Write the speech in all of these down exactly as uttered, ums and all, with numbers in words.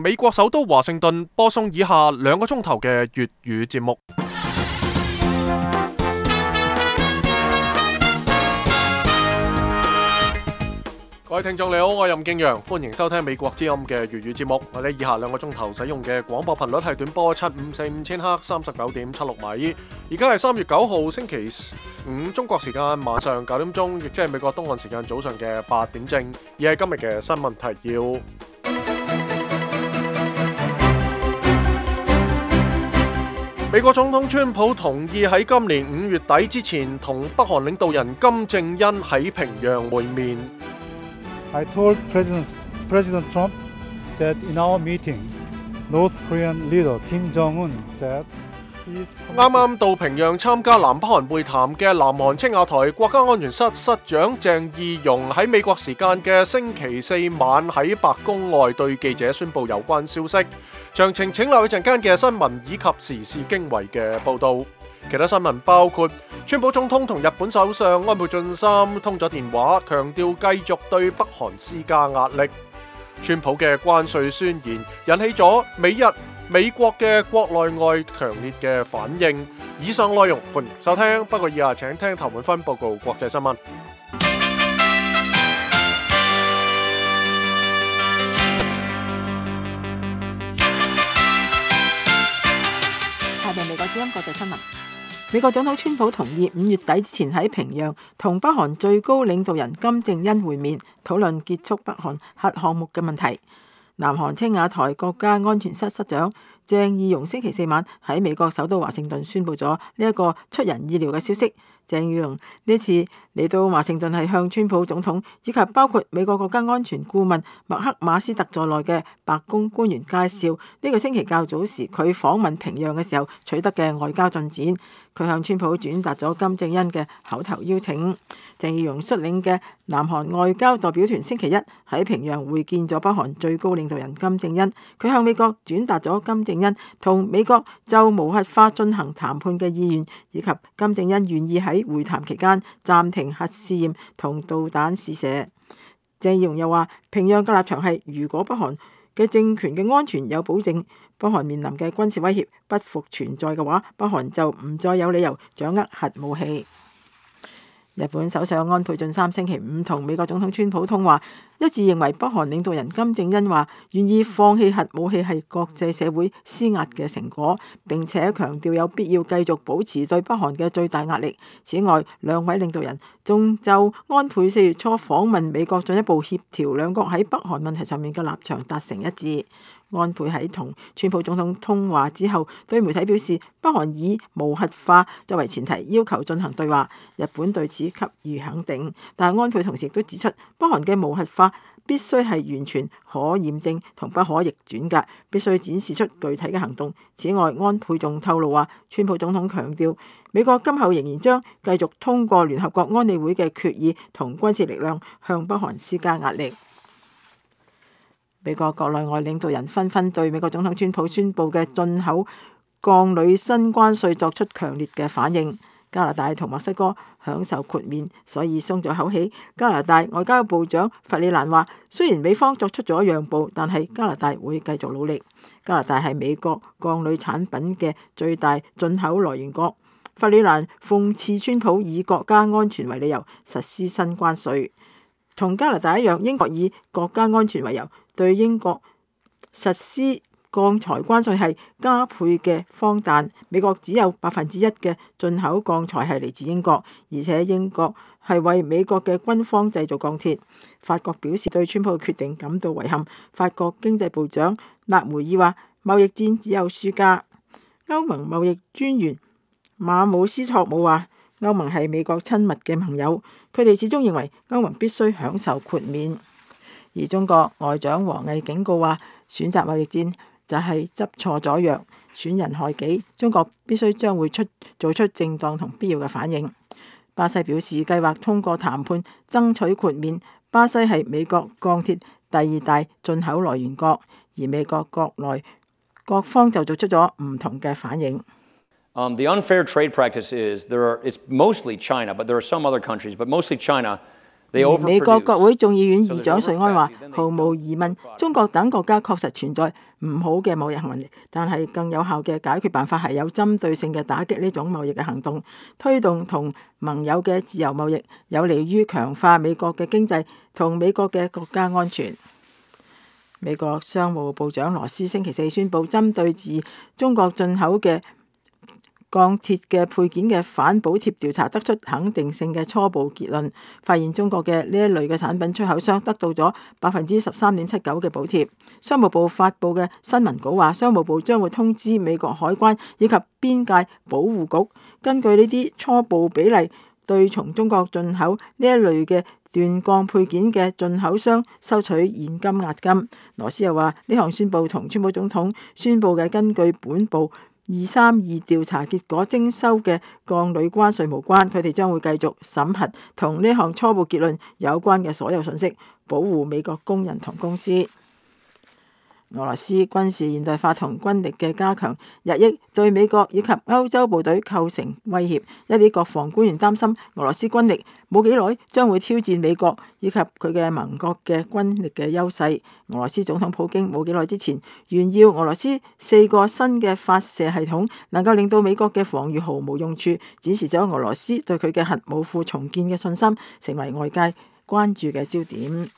美國首都華盛頓播送以下兩個鐘頭嘅粵語節目。各位聽眾你好，我係任敬陽，歡迎收聽美國之音嘅粵語節目。我哋以下兩個鐘頭使用嘅廣播頻率係短波七五四五千赫三十九點七六米。而家係三月九號星期五中國時間晚上九點鐘，亦即係美國東岸時間早上嘅八點正。而係今日嘅新聞提要。美國總統川普同意喺今年五月底之前同北韓領導人金正恩喺平壤會面。I told President, President Trump that in our meeting, North Korean leader Kim Jong-un said he is... 啱啱到平壤參加南北韓會談嘅南韓青瓦台國家安全室室長鄭義溶喺美國時間嘅星期四晚喺白宮外對記者宣布有關消息。詳情請留意陣間嘅新聞以及時事經緯嘅報導。其他新聞包括川普總統同日本首相安倍晉三通咗電話，強調繼續對北韓施加壓力。川普嘅關稅宣言引起咗美日美國嘅國內外強烈嘅反應。以上內容歡迎收聽，不過以下請聽頭滿分報告國際新聞。下面美國之音國際新聞。美國總統川普同意五月底之前喺平壤同北韓最高領導人金正恩會面，討論結束北韓核項目嘅問題。南韓青瓦台國家安全室室長鄭義溶星期四晚喺美國首都華盛頓宣布咗呢一個出人意料嘅消息。鄭義溶呢次嚟到華盛頓係向川普總統以及包括美國國家安全顧問麥克馬斯特在內嘅白宮官員介紹呢個星期較早時佢訪問平壤嘅時候取得嘅外交進展。佢向川普轉達咗金正恩嘅口頭邀請。鄭義溶率領嘅南韓外交代表團星期一喺平壤會見咗北韓最高領導人金正恩。佢向美國轉達咗金正恩同美國就無核化進行談判嘅意願，以及金正恩願意喺會談期間暫停核試驗同導彈試射。鄭義溶又話，平壤嘅立場係，如果北韓嘅政權嘅安全有保證，北韓面臨嘅軍事威脅不復存在嘅話，北韓就唔再有理由掌握核武器。日本首相安倍晉三星期五同美國總統川普通話，一致認為北韓領導人金正恩話願意放棄核武器係國際社會施壓嘅成果，並且強調有必要繼續保持對北韓嘅最大壓力。此外，兩位領導人仲就安倍四月初訪問美國進一步協調兩國喺北韓問題上面嘅立場達成一致。安倍喺同川普總統通話之後，對媒體表示，北韓以無核化作為前提要求進行對話，日本對此給予肯定。但係安倍同時亦都指出，北韓嘅無核化必須係完全可驗證同不可逆轉嘅，必須展示出具體嘅行動。此外，安倍仲透露話，川普總統強調，美國今後仍然將繼續通過聯合國安理會嘅決議同軍事力量向北韓施加壓力。美國國內外領導人紛紛對美國總統川普宣布嘅進口鋼鋁新關稅作出強烈嘅反應。加拿大同墨西哥享受豁免，所以鬆咗口氣。加拿大外交部長弗里蘭話，雖然美方作出咗讓步，但係加拿大會繼續努力。加拿大係美國鋼鋁產品嘅最大進口來源國。弗里蘭諷刺川普以國家安全為理由實施新關稅。同加拿大一樣，英國以國家安全為由對英國實施鋼材關稅係加倍嘅荒誕。美國只有百分之一嘅進口鋼材係嚟自英國，而且英國係為美國嘅軍方製造鋼鐵。法國表示對川普嘅決定感到遺憾。法國經濟部長納梅爾話，貿易戰只有輸家。歐盟貿易專員馬姆斯托姆話，歐盟係美國親密嘅盟友，佢哋始終認為歐盟必須享受豁免。而中國外長王毅警告話，選擇貿易戰就係執錯咗藥，損人害己。中國必須將會出做出正當同必要嘅反應。巴西表示計劃通過談判爭取豁免。巴西係美國鋼鐵第二大進口來源國，而美國國內各方就做出咗唔同嘅反應。Um, the unfair trade practice is there are it's mostly China, but there are some other countries, but mostly China 而美國國會眾議院議長瑞安話：毫無疑問，中國等國家確實存在唔好嘅貿易行為，但係更有效嘅解決辦法係有針對性嘅打擊呢種貿易嘅行動，推動同盟友嘅自由貿易，有利於強化美國嘅經濟同美國嘅國家安全。美國商務部長羅斯星期四宣布，針對自中國進口嘅鋼鐵嘅配件嘅反補貼調查得出肯定性嘅初步結論，發現中國嘅呢一類嘅產品出口商得到咗百分之十三點七九嘅補貼。商務部發布嘅新聞稿話，商務部將會通知美國海關以及邊界保護局，根據呢啲初步比例，對從中國進口呢一類嘅鍛鋼配件嘅進口商收取現金押金。羅斯又話，呢項宣佈同川普總統宣佈嘅根據本部二三二調查結果徵收嘅鋼鋁關稅無關，佢哋將會繼續審核同呢項初步結論有關嘅所有信息，保護美國工人同公司。俄羅斯軍事現代化同軍力嘅加強，日益對美國以及歐洲部隊構成威脅。一啲國防官員擔心，俄羅斯軍力冇幾耐將會挑戰美國以及佢嘅盟國嘅軍力嘅優勢。俄羅斯總統普京冇幾耐之前炫耀俄羅斯四個新嘅發射系統能夠令到美國嘅防禦毫無用處，展示咗俄羅斯對佢嘅核武庫重建嘅信心，成為外界關注嘅焦點。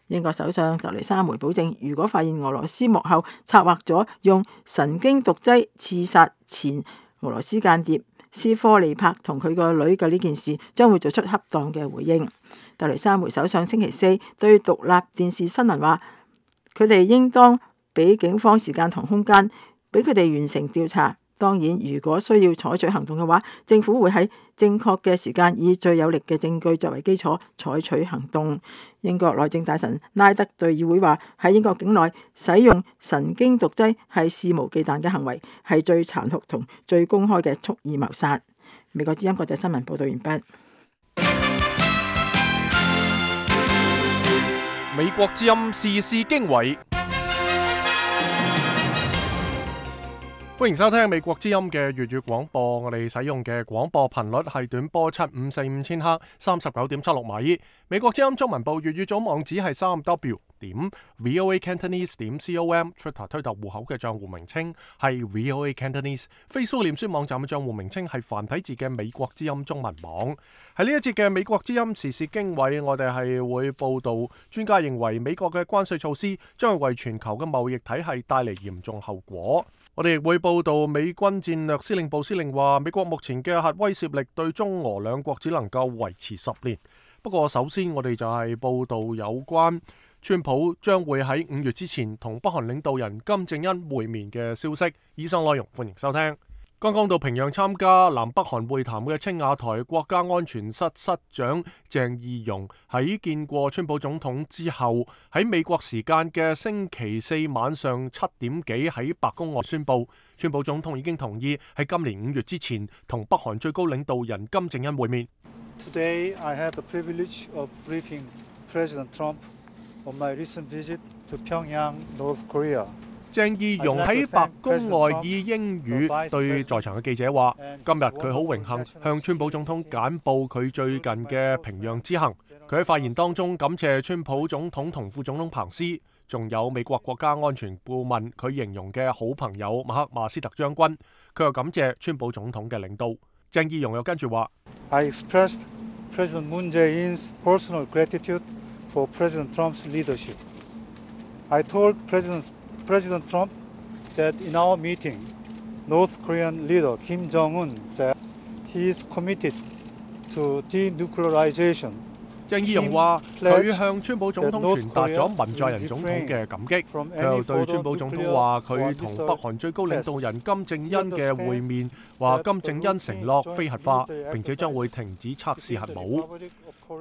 英國首相特蕾莎梅保證，如果發現俄羅斯幕後策劃咗用神經毒劑刺殺前俄羅斯間諜斯科利帕同佢個女嘅呢件事，將會做出恰當嘅回應。特蕾莎梅首相星期四對獨立電視新聞話，佢哋應當俾警方時間同空間，俾佢哋完成調查。當然，如果需要採取行動嘅話，政府會喺正確嘅時間以最有力嘅證據作為基礎採取行動。英國內政大臣拉德對議會話，喺英國境內使用神經毒劑係肆無忌憚嘅行為，係最殘酷同最公開嘅蓄意謀殺。美國之音國際新聞報道完畢。美國之音時事經緯。歡迎收聽美國之音嘅粵語廣播，我哋使用嘅廣播頻率係短波七五四五千赫，三十九點七六米。美國之音中文部粵語組網址係三 w 點 voa cantonese 點 com，Twitter 推特戶口嘅賬戶名稱係 voa cantonese，Facebook 臉書網站嘅賬戶名稱係繁體字嘅美國之音中文網。喺呢一節嘅美國之音時事經緯，我哋係會報道專家認為美國嘅關稅措施將會為全球嘅貿易體系帶嚟嚴重後果。我哋亦會報道美軍戰略司令部司令話，美國目前嘅核威懾力對中俄兩國只能夠維持十年。不過首先我哋就係報道有關川普將會喺五月之前同北韓領導人金正恩會面嘅消息。以上內容歡迎收聽。剛剛到平壤參加南北韓會談嘅青瓦台國家安全室室長鄭義溶喺見過川普總統之後，喺美國時間嘅星期四晚上七點幾喺白宮外宣布，川普總統已經同意喺今年五月之前同北韓最高領導人金正恩會面。Today I had the privilege of briefing President Trump on my recent visit to Pyongyang, North Korea. 鄭義溶喺白宮外以英語對在場嘅記者話，今日佢好榮幸向川普總統簡報佢最近嘅平壤之行。佢喺發言當中感謝川普總統同副總統彭斯，仲有美國國家安全顧問佢形容嘅好朋友馬克馬斯特將軍。佢又感謝川普總統嘅領導。鄭義溶又跟住話 I expressed President Moon Jae-in's personal gratitude for President Trump's leadership. I told President President Trump that in our meeting, North Korean leader Kim Jong-un said he is committed to denuclearization. 鄭義溶話佢向川普總統傳達咗文在寅總統嘅感激，佢又對川普總統話佢同北韓最高領導人金正恩嘅會面，話金正恩承諾非核化，並且將會停止測試核武。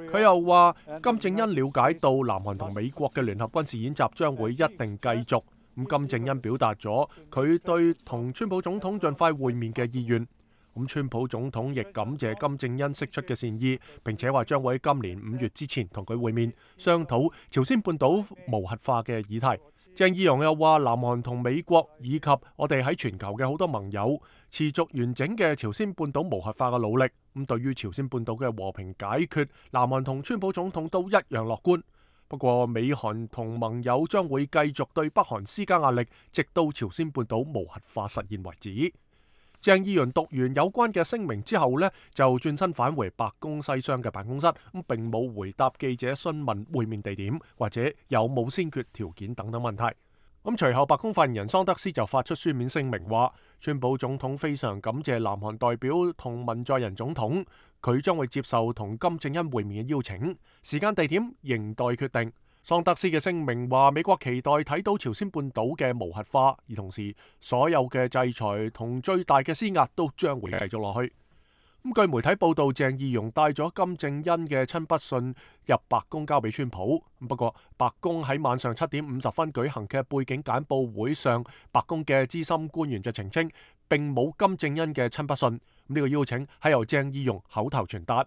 佢又話金正恩了解到南韓同美國嘅聯合軍事演習將會一定繼續。咁金正恩表達咗佢對同川普總統盡快會面嘅意願。咁川普總統亦感謝金正恩釋出嘅善意，並且話將會喺今年五月之前同佢會面，商討朝鮮半島無核化嘅議題。鄭義溶又話，南韓同美國以及我哋喺全球嘅好多盟友持續完整嘅朝鮮半島無核化嘅努力，咁對於朝鮮半島嘅和平解決，南韓同川普總統都一樣樂觀。不過美韓同盟友將會繼續對北韓施加壓力，直到朝鮮半島無核化實現為止。鄭義溶讀完有關嘅聲明之後呢，就轉身返回白宮西廂嘅辦公室，咁並冇回答記者詢問會面地點或者有冇先決條件等等問題。咁隨後白宮發言人桑德斯就發出書面聲明話，川普總統非常感謝南韓代表同文在寅總統，佢將會接受同金正恩會面嘅邀請，時間地點仍待決定。桑德斯嘅聲明話，美國期待睇到朝鮮半島嘅無核化，而同時所有嘅制裁同最大嘅施壓都將會繼續落去。咁據媒體報道，鄭義溶帶咗金正恩嘅親筆信入白宮交俾川普。不過白宮喺晚上七點五十分舉行嘅背景簡報會上，白宮嘅資深官員就澄清並冇金正恩嘅親筆信。呢個邀請係由鄭義溶口頭傳達。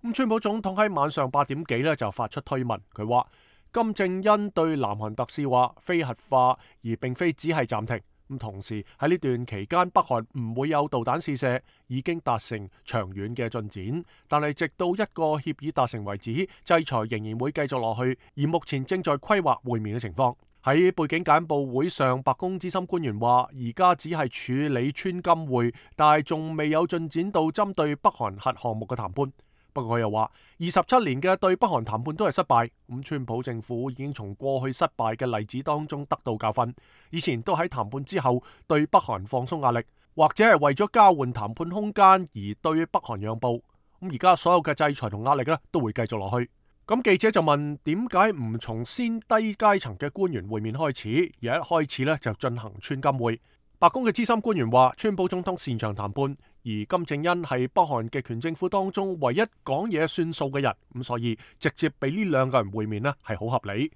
咁川普總統喺晚上八點幾呢就發出推文，佢話金正恩對南韓特使話非核化，而並非只係暫停。咁同時喺呢段期間，北韓唔會有導彈試射，已經達成長遠嘅進展。但係直到一個協議達成為止，制裁仍然會繼續落去。而目前正在規劃會面嘅情況。喺背景簡報會上，白宮資深官員話：而家只係處理川金會，但係仲未有進展到針對北韓核項目嘅談判。不過佢又話，二十七年嘅對北韓談判都係失敗，咁川普政府已經從過去失敗嘅例子當中得到教訓，以前都喺談判之後對北韓放鬆壓力，或者係為咗交換談判空間而對北韓讓步。咁而家所有嘅制裁同壓力咧都會繼續落去。咁記者就問，點解唔從先低階層嘅官員會面開始，而一開始咧就進行川金會？白宮嘅資深官員話，川普總統擅長談判，而金正恩係北韓極權政府當中唯一講嘢算數嘅人，咁所以直接俾呢兩個人會面呢係好合理。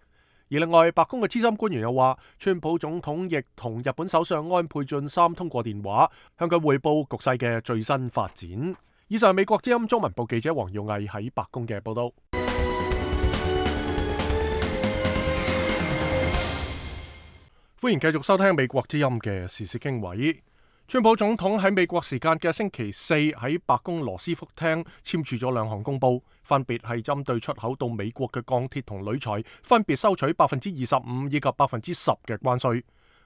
而另外，白宮嘅資深官員又話，川普總統亦同日本首相安倍晉三通過電話，向佢匯報局勢嘅最新發展。以上係美國之音中文部記者黃耀毅喺白宮嘅報道。歡迎繼續收聽美國之音嘅時事經緯。川普總統喺美國時間嘅星期四喺白宮羅斯福廳簽署咗兩項公報，分別係針對出口到美國嘅鋼鐵同鋁材，分別收取百分之二十五以及百分之十嘅關稅。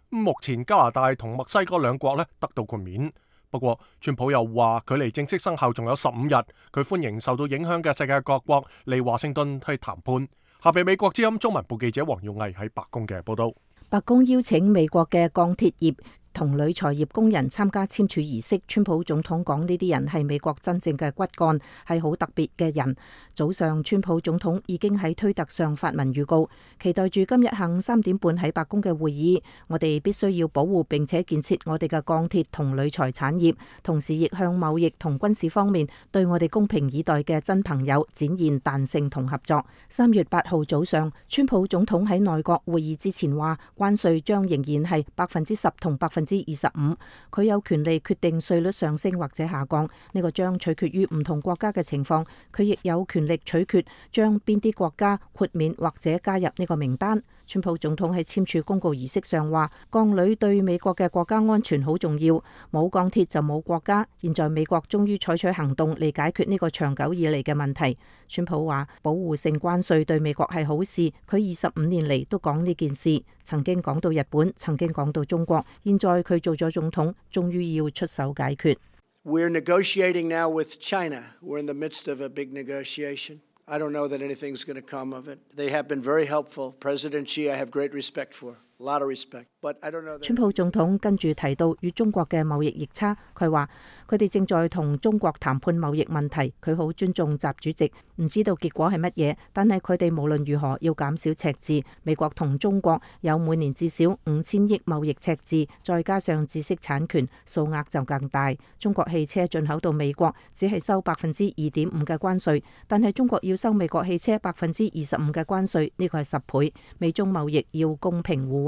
目前加拿大同墨西哥兩國咧得到豁免，不過川普又話距離正式生效仲有十五日，佢歡迎受到影響嘅世界各國嚟華盛頓去談判。下邊美國之音中文部記者黃耀毅喺白宮嘅報道。白宮邀請美國嘅鋼鐵業同鋁材業工人參加簽署儀式。川普總統講呢啲人係美國真正嘅骨幹，係好特別嘅人。早上川普總統已經喺推特上發文預告，期待住今日下午三點半喺白宮嘅會議，我哋必須要保護並且建設我哋嘅鋼鐵同鋁材產業，同時亦向貿易同軍事方面對我哋公平以待嘅真朋友展現彈性同合作。三月八號早上，川普總統喺內閣會議之前話，關稅將仍然係百分之十同百分之二十五，佢有權利決定稅率上升或者下降，呢個將取決於唔同國家嘅情況。佢亦有權力取決將邊啲國家豁免或者加入呢個名單。川普總統喺簽署公告儀式上話，鋼鋁對美國嘅國家安全好重要，冇鋼鐵就冇國家。現在美國終於採取行動嚟解決呢個長久以嚟嘅問題。川普話，保護性關稅對美國係好事，佢二十五年嚟都講呢件事，曾經講到日本，曾經講到中國，現在佢做咗總統，終於要出手解決。We're negotiating now with China. We're in the midst of a big negotiation. I don't know that anything's going to come of it. They have been very helpful. President Xi, I have great respect for. A lot of respect. But I don't know that... 川普總統跟住提到與中國嘅貿易逆差，佢話佢哋正在同中國談判貿易問題，佢好尊重習主席，唔知道結果係乜嘢，但係佢哋無論如何要減少赤字。美國同中國有每年至少五千億貿易赤字，再加上知識產權，數額就更大。中國汽車進口到美國只係收百分之二點五嘅關稅，但係中國要收美國汽車百分之二十五嘅關稅，呢個係十倍。美中貿易要公平互惠。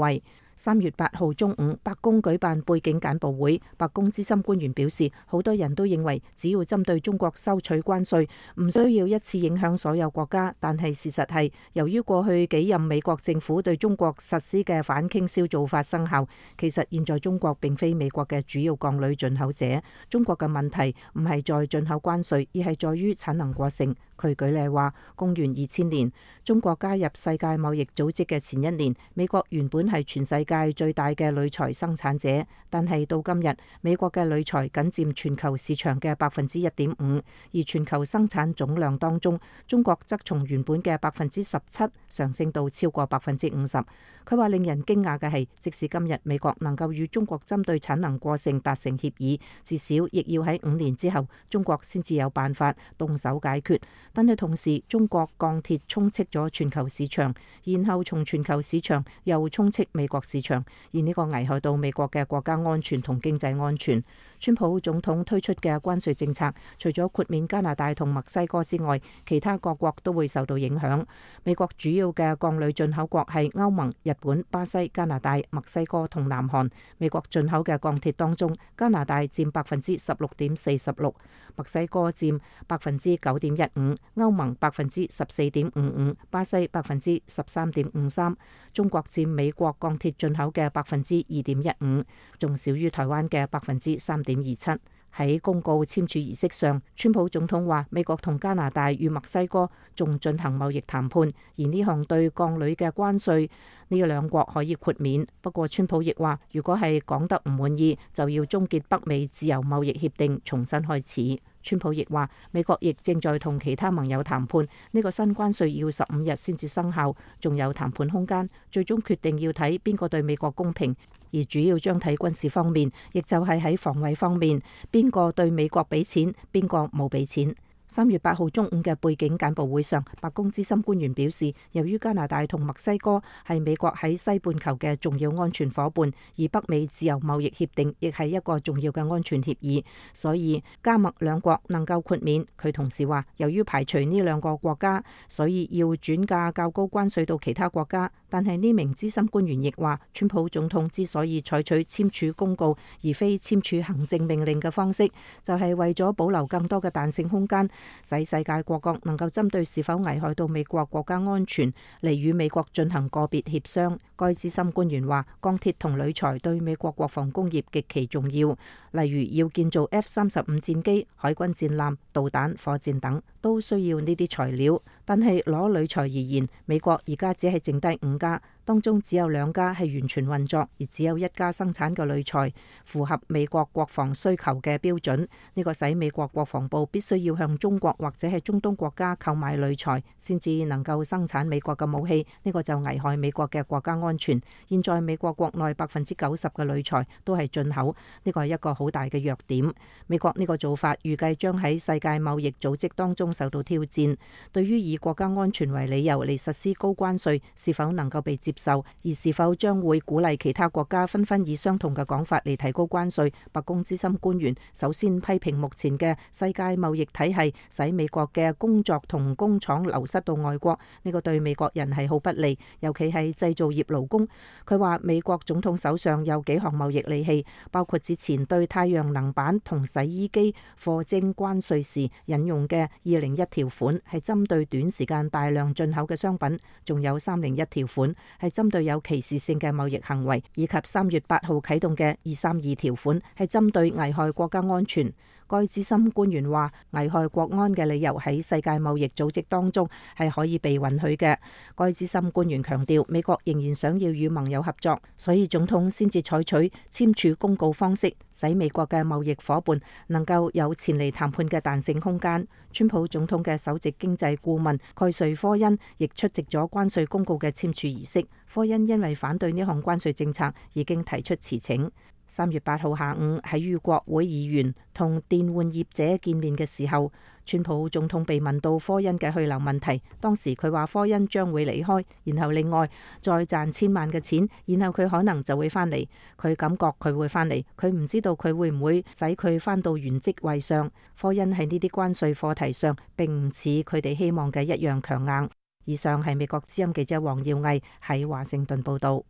三月八號中午，白宮舉辦背景簡報會。白宮資深官員表示，好多人都認為只要針對中國收取關稅，唔需要一次影響所有國家。但係事實係，由於過去幾任美國政府對中國實施嘅反傾銷做法生效，其實現在中國並非美國嘅主要鋼鋁進口者。中國嘅問題唔係在進口關稅，而係在於產能過剩。佢舉例話，公元二千年，中國加入世界貿易組織嘅前一年，美國原本係全世界最大嘅鋁材生產者，但係到今日，美國嘅鋁材僅佔全球市場嘅百分之一點五，而全球生產總量當中，中國則從原本嘅百分之十七上升到超過百分之五十。佢話令人驚訝嘅係，即使今日美國能夠與中國針對產能過剩達成協議，至少亦要喺五年之後，中國先至有辦法動手解決。但係同時，中國鋼鐵充斥咗全球市場，然後從全球市場又充斥美國市場，而呢個危害到美國嘅國家安全同經濟安全。川普總統推出嘅關稅政策，除咗豁免加拿大同墨西哥之外，其他各國都會受到影響。美國主要嘅鋼鋁進口國係歐盟、日本、巴西、加拿大、墨西哥同南韓。美國進口嘅鋼鐵當中，加拿大佔百分之十六點四十六，墨西哥佔百分之九點一五，歐盟百分之十四點五五，巴西百分之十三點五三。中國佔美國鋼鐵進口嘅百分之二點一五，仲少於台灣嘅百分之三點二七。喺公告簽署儀式上，川普總統話美國同加拿大與墨西哥仲進行貿易談判，而呢項對鋼鋁嘅關稅呢兩國可以豁免。不過川普亦話，如果係講得唔滿意，就要終結北美自由貿易協定，重新開始。川普亦話，美國亦正在同其他盟友談判，呢個新關稅要十五日先至生效，仲有談判空間，最終決定要睇邊個對美國公平。而主要將睇軍事方面，亦就係喺防衛方面，邊個對美國俾錢，邊個冇俾錢。三月八號中午嘅背景簡報會上，白宮資深官員表示，由於加拿大同墨西哥係美國喺西半球嘅重要安全夥伴，而北美自由貿易協定亦係一個重要嘅安全協議，所以加墨兩國能夠豁免。佢同時話，由於排除呢兩個國家，所以要轉嫁較高關稅到其他國家。但係呢名資深官員亦話，川普總統之所以採取簽署公告而非簽署行政命令嘅方式，就係為咗保留更多嘅彈性空間，使世界各國能夠針對是否危害到美國國家安全嚟與美國進行個別協商。該資深官員話，鋼鐵同鋁材對美國國防工業極其重要，例如要建造 F 三十五戰機、海軍戰艦、導彈、火箭等，都需要呢啲材料。但係攞鋁材而言，美國而家只係剩低五家，當中只有兩家係完全運作，而只有一家生產嘅鋁材符合美國國防需求嘅標準。呢個使美國國防部必須要向中國或者係中東國家購買鋁材，先至能夠生產美國嘅武器。呢個就危害美國嘅國家安全。現在美國國內百分之九十嘅鋁材都係進口，呢個係一個好大嘅弱點。美國呢個做法預計將喺世界貿易組織當中受到挑戰。對於以國家安全為理由嚟實施高關稅，是否能夠被接受，而是否將會鼓勵其他國家紛紛以相同嘅講法嚟提高關稅？白宮資深官員首先批評目前嘅世界貿易體系使美國嘅工作同工廠流失到外國，呢個對美國人係好不利，尤其係製造業勞工。佢話美國總統手上有幾項貿易利器，包括之前對太陽能板同洗衣機課徵關稅時引用嘅二零一條款，係針對短時間大量進口嘅商品，仲有三零一條款係針對有歧視性嘅貿易行為，以及三月八號啟動嘅二三二條款係針對危害國家安全。該資深官員話，危害國安嘅理由喺世界貿易組織當中係可以被允許嘅。該資深官員強調，美國仍然想要與盟友合作，所以總統先至採取簽署公告方式，使美國嘅貿易夥伴能夠有前嚟談判嘅彈性空間。川普總統嘅首席經濟顧問蓋瑞科恩亦出席咗關稅公告嘅簽署儀式。科恩因為反對呢項關稅政策，已經提出辭呈。三月八號下午喺與國會議員同電玩業者見面嘅時候，川普總統被問到科恩嘅去留問題，當時佢話科恩將會離開，然後另外再賺千萬嘅錢，然後佢可能就會翻嚟。佢感覺佢會翻嚟，佢唔知道佢會唔會使佢翻到原職位上。科恩喺呢啲關稅課題上並唔似佢哋希望嘅一樣強硬。以上係美國之音記者黃耀毅喺華盛頓報道。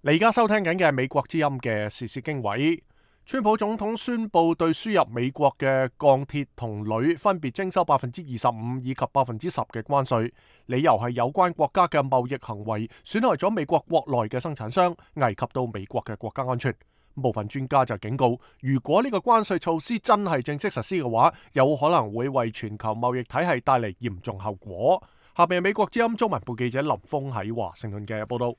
你而家收聽緊嘅係美國之音嘅時事經緯。川普總統宣布對輸入美國嘅鋼鐵同鋁分別徵收百分之二十五以及百分之十嘅關稅，理由係有關國家嘅貿易行為損害咗美國國內嘅生產商，危及到美國嘅國家安全。部分專家就警告，如果呢個關稅措施真係正式實施嘅話，有可能會為全球貿易體系帶嚟嚴重後果。下邊係美國之音中文部記者林峰喺華盛頓嘅報道。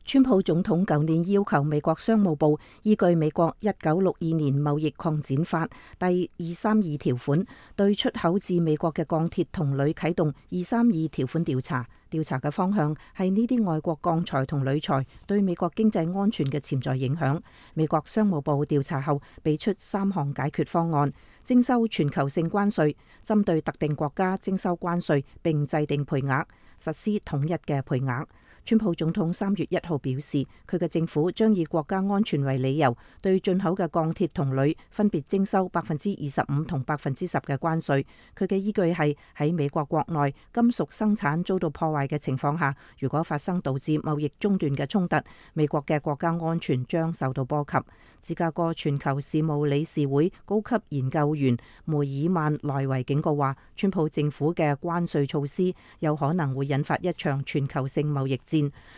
川普總統舊年要求美國商務部依據美國一九六二年貿易擴展法第二三二條款，對出口至美國嘅鋼鐵同鋁啟動二三二條款調查。調查嘅方向係呢啲外國鋼材同鋁材對美國經濟安全嘅潛在影響。美國商務部調查後俾出三項解決方案：徵收全球性關稅，針對特定國家徵收關稅並制定賠額，實施統一嘅賠額。川普總統三月一號表示，佢嘅政府將以國家安全為理由，對進口嘅鋼鐵同鋁分別徵收百分之二十五同百分之十嘅關稅。佢嘅依據係喺美國國內金屬生產遭到破壞嘅情況下，如果發生導致貿易中斷嘅衝突，美國嘅國家安全將受到波及。芝加哥全球事務理事會高級研究員梅爾曼萊維警告話，川普政府嘅關稅措施有可能會引發一場全球性貿易戰。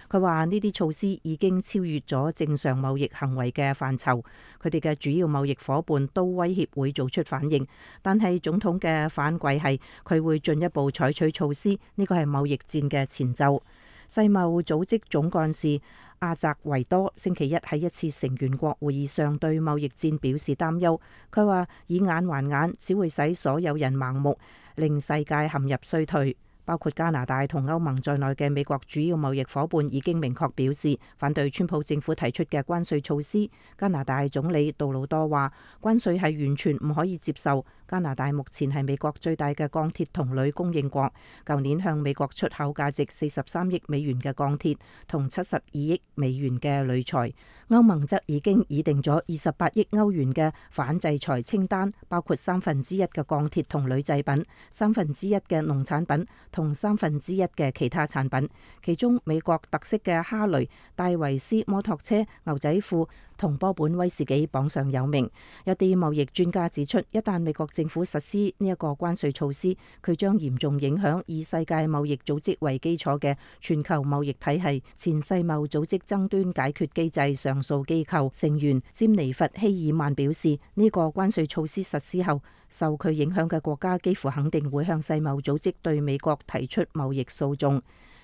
佢話呢啲措施已經超越咗正常貿易行為嘅範疇，佢哋嘅主要貿易夥伴都威脅會做出反應，但係總統嘅反饋係佢會進一步採取措施，呢個係貿易戰嘅前奏。世貿組織總幹事阿澤維多星期一喺一次成員國會議上對貿易戰表示擔憂，佢話以眼還眼只會使所有人盲目，令世界陷入衰退。包括加拿大同歐盟在內嘅美國主要貿易夥伴已經明確表示反對川普政府提出嘅關稅措施。加拿大總理杜魯多話，關稅係完全唔可以接受。加拿大目前係美國最大嘅鋼鐵同鋁供應國，舊年向美國出口價值四十三億美元嘅鋼鐵同七十二億美元嘅鋁材。歐盟則已經擬定咗二十八億歐元嘅反制裁清單，包括三分之一嘅鋼鐵同鋁製品、三分之一嘅農產品同三分之一嘅其他產品。其中美國特色嘅哈雷、戴維斯摩托車、牛仔褲同波本威士忌榜上有名。一啲貿易專家指出，一旦美國政府實施呢一個關稅措施，佢將嚴重影響以世界貿易組織為基礎嘅全球貿易體系。前世貿組織爭端解決機制上訴機構成員詹尼弗希爾曼表示，呢個關稅措施實施後，受佢影響嘅國家幾乎肯定會向世貿組織對美國提出貿易訴訟。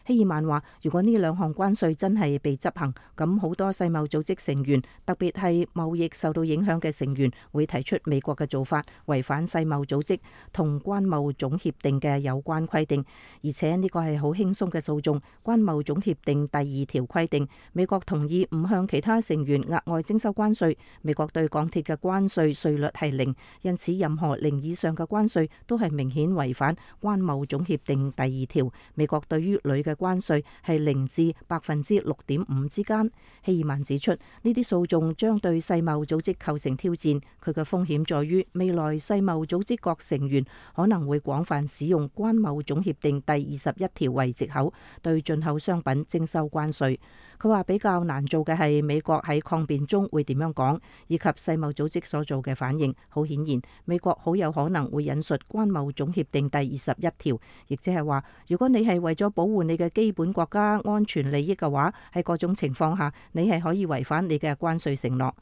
希爾曼話，如果呢兩項關稅真係被執行，咁好多世貿組織成員，特別係貿易受到影響嘅成員，會提出美國嘅做法違反世貿組織同關貿總協定嘅有關規定，而且呢個係好輕鬆嘅訴訟。關貿總協定第二條規定，美國同意唔向其他成員額外徵收關稅。美國對鋼鐵嘅關稅稅率係零，因此任何零以上嘅關稅都係明顯違反關貿總協定第二條。美國對於鋁嘅關稅係零至百分之六點五之間。希爾曼指出，呢啲訴訟將對世貿組織構成挑戰。佢嘅風險在於未來世貿組織各成員可能會廣泛使用關貿總協定第二十一條為藉口，對進口商品徵收關稅。佢話比較難做嘅係美國喺抗辯中會點樣講，以及世貿組織所做嘅反應。好顯然，美國好有可能會引述關貿總協定第二十一條，亦即係話，如果你係為咗保護你嘅基本國家安全利益嘅話，喺各種情況下，你係可以違反你嘅關稅承諾。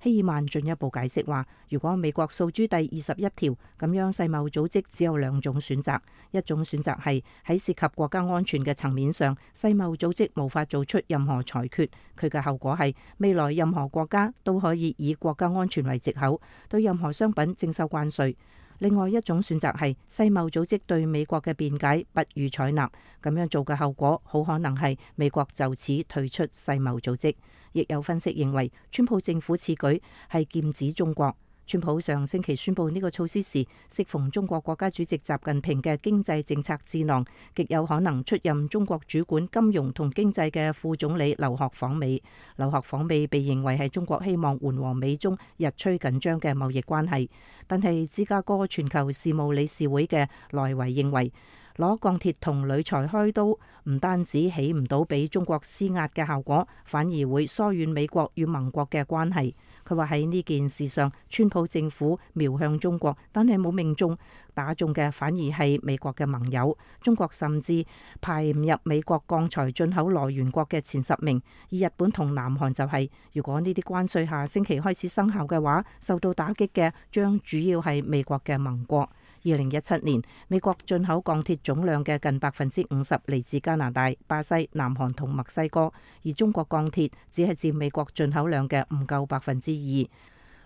希爾曼進一步解釋話，如果美國訴諸第二十一條，咁樣世貿組織只有兩種選擇，一種選擇係喺涉及國家安全嘅層面上，世貿組織無法做出任何裁決，佢嘅後果係未來任何國家都可以以國家安全為藉口，對任何商品徵收關稅。另外一種選擇係世貿組織對美國嘅辯解不予採納，咁樣做嘅後果好可能係美國就此退出世貿組織。亦有分析認為，川普政府此舉係劍指中國。川普上星期宣布呢個措施時，適逢中國國家主席習近平嘅經濟政策智囊，極有可能出任中國主管金融同經濟嘅副總理劉鶴訪美。劉鶴訪美被認為係中國希望緩和美中日趨緊張嘅貿易關係，但係芝加哥全球事務理事會嘅萊維認為，攞鋼鐵同鋁材開刀，唔單止起唔到俾中國施壓嘅效果，反而會疏遠美國與盟國嘅關係。佢話喺呢件事上，川普政府瞄向中國，但係冇命中，打中嘅反而係美國嘅盟友。中國甚至排唔入美國鋼材進口來源國嘅前十名，而日本同南韓就係、是。如果呢啲關稅下星期開始生效嘅話，受到打擊嘅將主要係美國嘅盟國。二零一七年，美國進口鋼鐵總量嘅近百分之五十嚟自加拿大、巴西、南韓同墨西哥，而中國鋼鐵只係佔美國進口量嘅唔夠百分之二。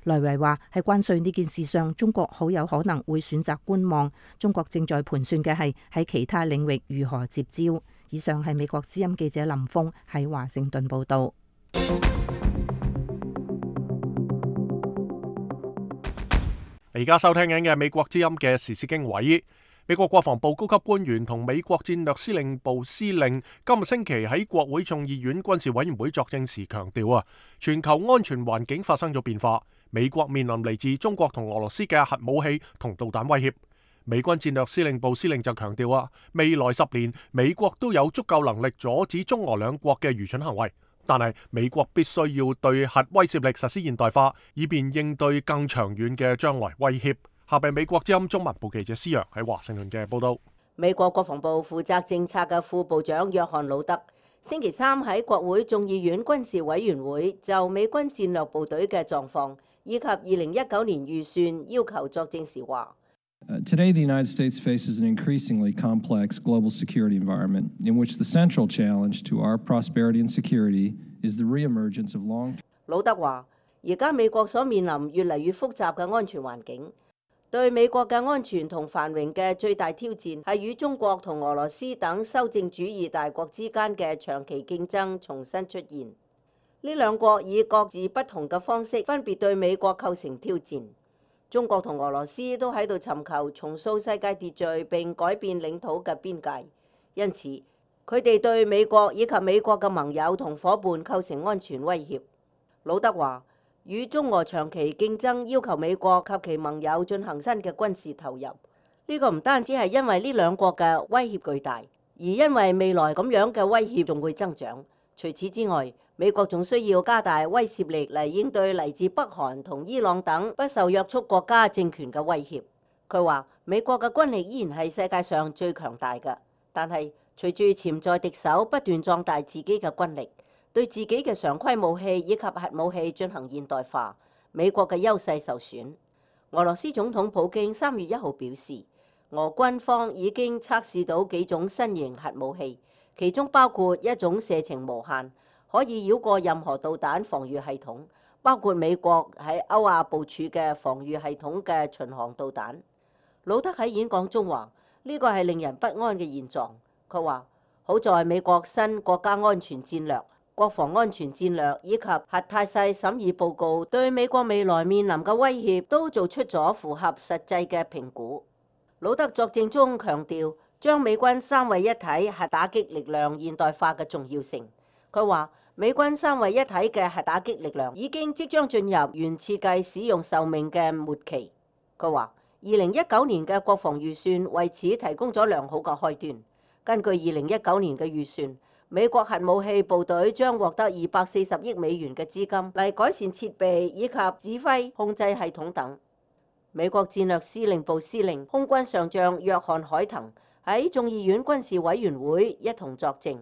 來維話喺關稅呢件事上，中國好有可能會選擇觀望。中國正在盤算嘅係喺其他領域如何接招。以上係美國之音記者林峰喺華盛頓報道。而家收聽緊嘅美國之音嘅時事經緯，美國國防部高級官員同美國戰略司令部司令今日星期喺國會眾議院軍事委員會作證時強調啊，全球安全環境發生咗變化，美國面臨嚟自中國同俄羅斯嘅核武器同導彈威脅。美軍戰略司令部司令就強調啊，未來十年美國都有足夠能力阻止中俄兩國嘅愚蠢行為。但係美國必須要對核威懾力實施現代化，以便應對更長遠嘅將來威脅。下邊美國之音中文部記者施洋喺華盛頓嘅報道。美國國防部負責政策嘅副部長約翰魯德星期三喺國會眾議院軍事委員會就美軍戰略部隊嘅狀況以及二零一九年預算要求作證時話Uh, today, the United States faces an increasingly complex global security environment in which the central challenge to our prosperity and security is the reemergence of long-term. 魯德話：而家美國所面臨越嚟越複雜嘅安全環境，對美國嘅安全同繁榮嘅最大挑戰係與中國同俄羅斯等修正主義大國之間嘅長期競爭重新出現。呢兩國以各自不同嘅方式分別對美國構成挑戰。中國同俄羅斯都喺度尋求重塑世界秩序並改變領土嘅邊界，因此佢哋對美國以及美國嘅盟友同伙伴構成安全威脅。魯德話：與中俄長期競爭要求美國及其盟友進行新嘅軍事投入，呢、這個唔單止係因為呢兩國嘅威脅巨大，而因為未來咁樣嘅威脅仲會增長。除此之外，美國仲需要加大威懾力嚟應對嚟自北韓同伊朗等不受約束國家政權嘅威脅。佢話美國嘅軍力依然係世界上最強大嘅，但係隨住潛在敵手不斷壯大自己嘅軍力，對自己嘅常規武器以及核武器進行現代化，美國嘅優勢受損。俄羅斯總統普京三月一號表示，俄軍方已經測試到幾種新型核武器，其中包括一種射程無限，可以繞過任何導彈防禦系統，包括美國喺歐亞部署嘅防禦系統嘅巡航導彈。魯德喺演講中話：呢個係令人不安嘅現狀。佢話：好在美國新國家安全戰略、國防安全戰略以及核態勢審議報告對美國未來面臨嘅威脅都做出咗符合實際嘅評估。魯德作證中強調將美軍三位一體核打擊力量現代化嘅重要性。佢話：美軍三位一體嘅核打擊力量已經即將進入原設計使用壽命嘅末期。佢話：二零一九年嘅國防預算為此提供咗良好嘅開端。根據二零一九年嘅預算，美國核武器部隊將獲得二百四十億美元嘅資金嚟改善設備以及指揮控制系統等。美國戰略司令部司令空軍上將約翰海騰喺眾議院軍事委員會一同作證。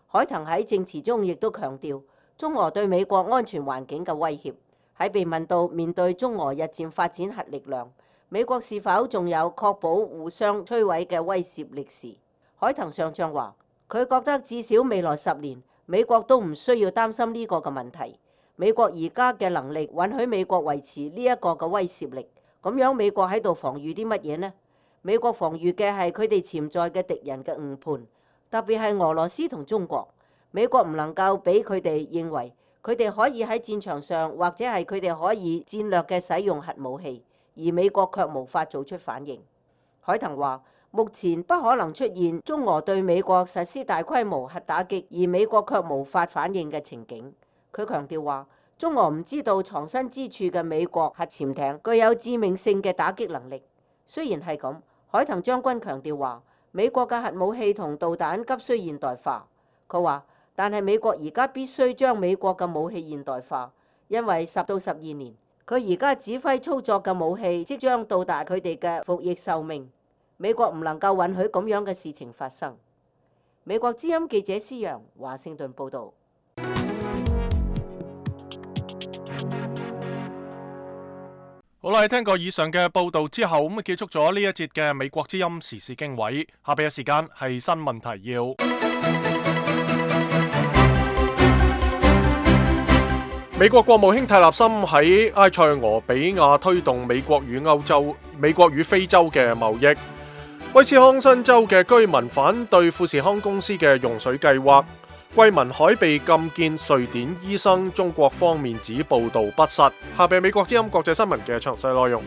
海騰喺證詞中亦都強調中俄對美國安全環境嘅威脅。喺被問到面對中俄日漸發展核力量，美國是否仲有確保互相摧毀嘅威懾力時，海騰上將話：佢覺得至少未來十年，美國都唔需要擔心呢個嘅問題。美國而家嘅能力允許美國維持呢一個嘅威懾力。咁樣美國喺度防禦啲乜嘢呢？美國防禦嘅係佢哋潛在嘅敵人嘅誤判。特別係俄羅斯同中國，美國唔能夠俾佢哋認為佢哋可以喺戰場上或者係佢哋可以戰略嘅使用核武器，而美國卻無法做出反應。海騰話：目前不可能出現中俄對美國實施大規模核打擊，而美國卻無法反應嘅情景。佢強調話：中俄唔知道藏身之處嘅美國核潛艇具有致命性嘅打擊能力。雖然係咁，海騰將軍強調話：美國嘅核武器同導彈急需現代化。佢話，但係美國而家必須將美國嘅武器現代化，因為十到十二年，佢而家指揮操作嘅武器即將到達佢哋嘅服役壽命。美國唔能夠允許咁樣嘅事情發生。美國之音記者施陽，華盛頓報導。好啦，聽過以上嘅報導之後，咁啊結束咗呢一節嘅美國之音時事經緯。下邊嘅時間係新聞提要。美國國務卿泰勒森喺埃塞俄比亞推動美國與歐洲、美國與非洲嘅貿易。威斯康辛州嘅居民反對富士康公司嘅用水計劃。桂民海被禁見瑞典醫生，中國方面指報道不實。下邊美國之音國際新聞嘅詳細內容。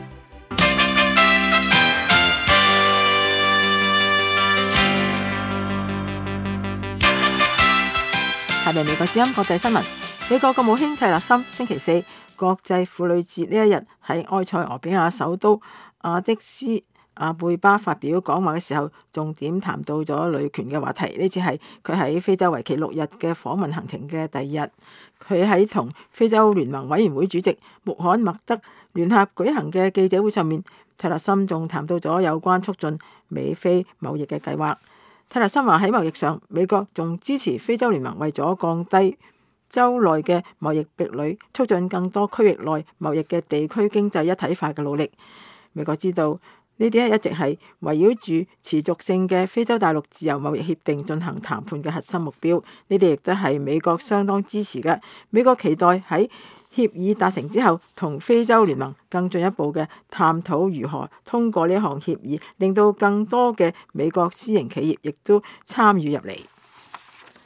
下邊美國之音國際新聞。美國國務卿泰勒森星期四國際婦女節呢一日喺埃塞俄比亞首都阿迪斯阿貝巴發表講話嘅時候，重點談到咗女權嘅話題。呢次係佢喺非洲為期六日嘅訪問行程嘅第二日。佢喺同非洲聯盟委員會主席穆罕默德聯合舉行嘅記者會上面，泰勒森仲談到咗有關促進美非貿易嘅計劃。泰勒森話喺貿易上，美國仲支持非洲聯盟為咗降低州內嘅貿易壁壘，促進更多區域內貿易嘅地區經濟一體化嘅努力。美國知道呢啲一直係圍繞住持續性嘅非洲大陸自由貿易協定進行談判嘅核心目標，呢啲亦都係美國相當支持嘅。美國期待喺協議達成之後，同非洲聯盟更進一步嘅探討如何通過呢項協議，令到更多嘅美國私營企業亦都參與入嚟。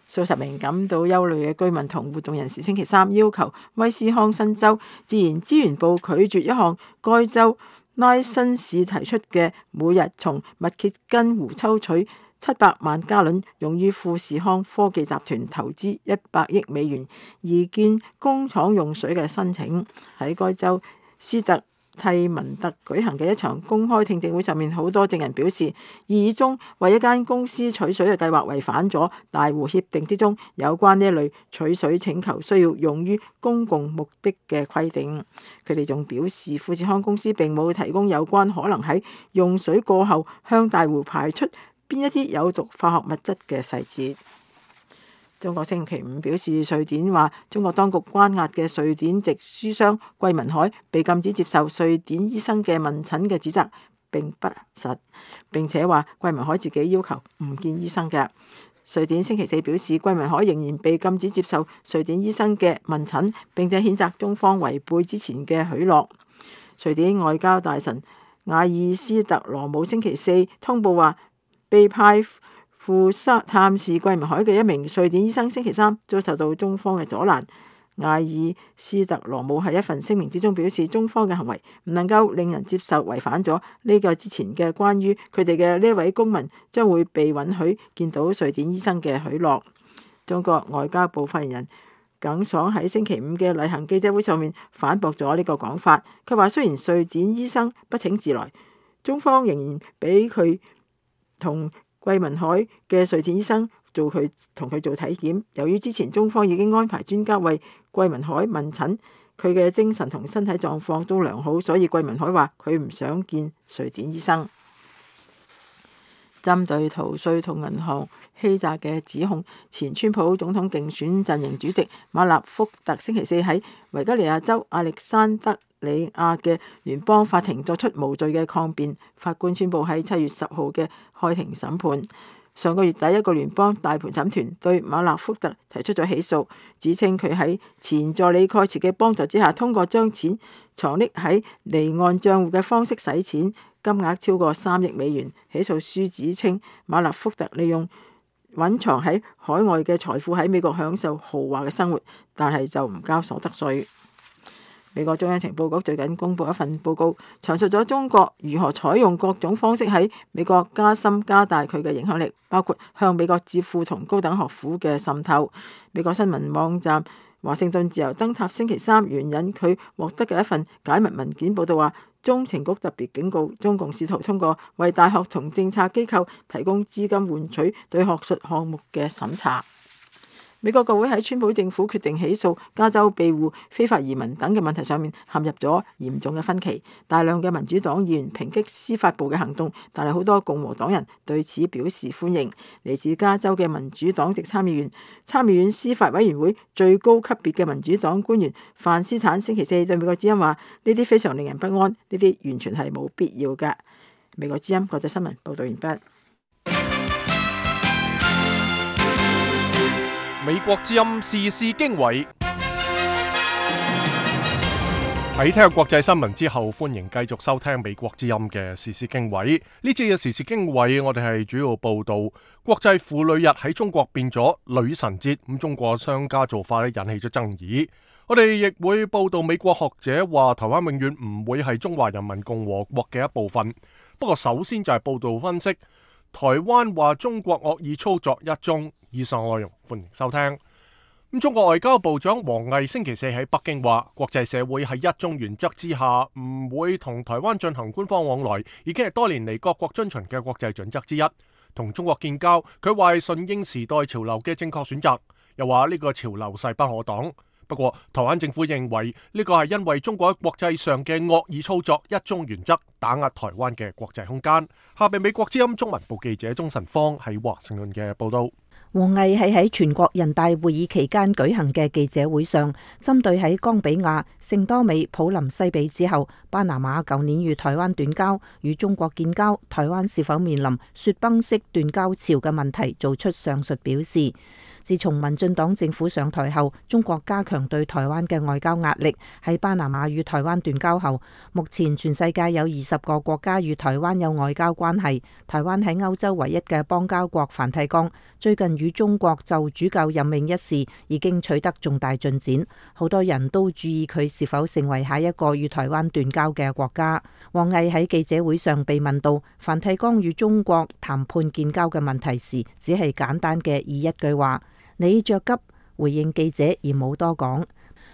數十名感到憂慮嘅居民同活動人士星期三要求威斯康辛州自然資源部拒絕一項該州拉辛市提出嘅每日從密歇根湖抽取七百萬加侖用於富士康科技集團投資一百億美元擬建工廠用水嘅申請。喺該州斯特蒂文特舉行嘅一場公開聽證會上面，好多證人表示，異議中為一間公司取水嘅計劃違反咗大湖協定之中有關呢一類取水請求需要用於公共目的嘅規定。佢哋仲表示，富士康公司並冇提供有關可能喺用水過後向大湖排出邊一啲有毒化學物質嘅細節。中國星期五表示，瑞典話中國當局關押嘅瑞典籍書商桂民海被禁止接受瑞典醫生嘅問診嘅指責並不實，並且話桂民海自己要求唔見醫生嘅。瑞典星期四表示，桂民海仍然被禁止接受瑞典醫生嘅問診，並且譴責中方違背之前嘅許諾。瑞典外交大臣瓦爾斯特羅姆星期四通報話，被派赴探視桂民海嘅一名瑞典醫生星期三遭受到中方嘅阻攔。瓦爾斯特羅姆喺一份聲明之中表示，中方嘅行為唔能夠令人接受，違反咗呢個之前嘅關於佢哋嘅呢位公民將會被允許見到瑞典醫生嘅許諾。中國外交部發言人耿爽喺星期五嘅例行記者會上面反駁咗呢個講法。佢話，雖然瑞典醫生不請自來，中方仍然俾佢同桂民海嘅瑞典醫生做佢同佢做體檢。由於之前中方已經安排專家為桂民海問診，佢嘅精神同身體狀況都良好，所以桂民海話佢唔想見瑞典醫生。針對逃稅同銀行欺詐嘅指控，前川普總統競選陣營主席馬納福特星期四喺維吉尼亞州亞歷山德里亞嘅聯邦法庭作出無罪嘅抗辯，法官宣布喺七月十號嘅開庭審判。上個月底，一個聯邦大陪審團對馬納福特提出咗起訴，指稱佢喺前助理蓋茨嘅幫助之下，通過將錢藏匿喺離岸帳戶嘅方式洗錢，金額超過三億美元。起訴書指稱馬納福特利用隱藏喺海外嘅財富喺美國享受豪華嘅生活，但係就唔交所得稅。美國中央情報局最近公布一份報告，詳述咗中國如何採用各種方式喺美國加深加大佢嘅影響力，包括向美國智庫同高等學府嘅滲透。美國新聞網站華盛頓自由燈塔星期三援引佢獲得嘅一份解密文件報道話，中情局特別警告，中共試圖通過為大學同政策機構提供資金換取對學術項目嘅審查。美國國會喺川普政府決定起訴加州庇護非法移民等嘅問題上面陷入咗嚴重嘅分歧。大量嘅民主黨議員抨擊司法部嘅行動，但係好多共和黨人對此表示歡迎。嚟自加州嘅民主黨籍參議員、參議院司法委員會最高級別嘅民主黨官員范斯坦星期四對美國之音話：呢啲非常令人不安，呢啲完全係冇必要嘅。美國之音國際新聞報道完畢。美國之音時事經緯，喺聽國際新聞之後，歡迎繼續收聽美國之音嘅時事經緯。呢次嘅時事經緯，我哋係主要報道國際婦女日喺中國變咗女神節，咁中國商家做法咧引起咗爭議。我哋亦會報道美國學者話台灣永遠唔會係中華人民共和國嘅一部分。不過首先就係報道分析台灣話中國惡意操作一宗。以上內容歡迎收聽。咁中國外交部長王毅星期四喺北京話，國際社會喺一中原則之下唔會同台灣進行官方往來，已經係多年嚟各國遵循嘅國際準則之一。同中國建交，佢話係順應時代潮流嘅正確選擇，又話呢個潮流勢不可擋。不過台灣政府認為呢個係因為中國喺國際上嘅惡意操作一中原則，打壓台灣嘅國際空間。下邊美國之音中文部記者鍾晨芳喺華盛頓嘅報道。王毅係喺全國人大會議期間舉行嘅記者會上，針對喺岡比亞、聖多美、普林西比之後，巴拿馬舊年與台灣斷交，與中國建交，台灣是否面臨雪崩式斷交潮嘅問題，做出上述表示。自從民進黨政府上台後，中國加強對台灣嘅外交壓力。喺巴拿馬與台灣斷交後，目前全世界有二十個國家與台灣有外交關係。台灣喺歐洲唯一嘅邦交國梵蒂岡，最近與中國就主教任命一事已經取得重大進展，好多人都注意佢是否成為下一個與台灣斷交嘅國家。王毅喺記者會上被問到梵蒂岡與中國談判建交嘅問題時，只係簡單嘅以一句話：你着急回應記者而冇多講。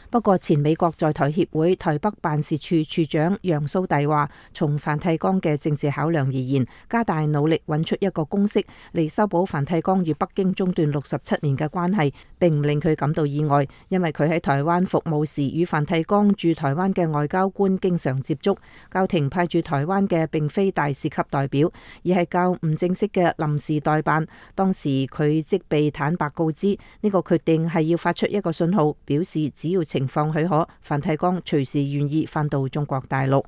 不過前美國在台協會台北辦事處處長楊蘇棣話，從梵蒂岡嘅政治考量而言，加大努力揾出一個公式嚟修補梵蒂岡與北京中斷六十七年嘅關係，並唔令佢感到意外，因為佢喺台灣服務時與梵蒂岡駐台灣嘅外交官經常接觸，教廷派駐台灣嘅並非大使級代表，而係較唔正式嘅臨時代辦。當時佢即被坦白告知，呢個決定係要發出一個信號，表示只要情況許可，梵蒂岡隨時願意返到中國大陸。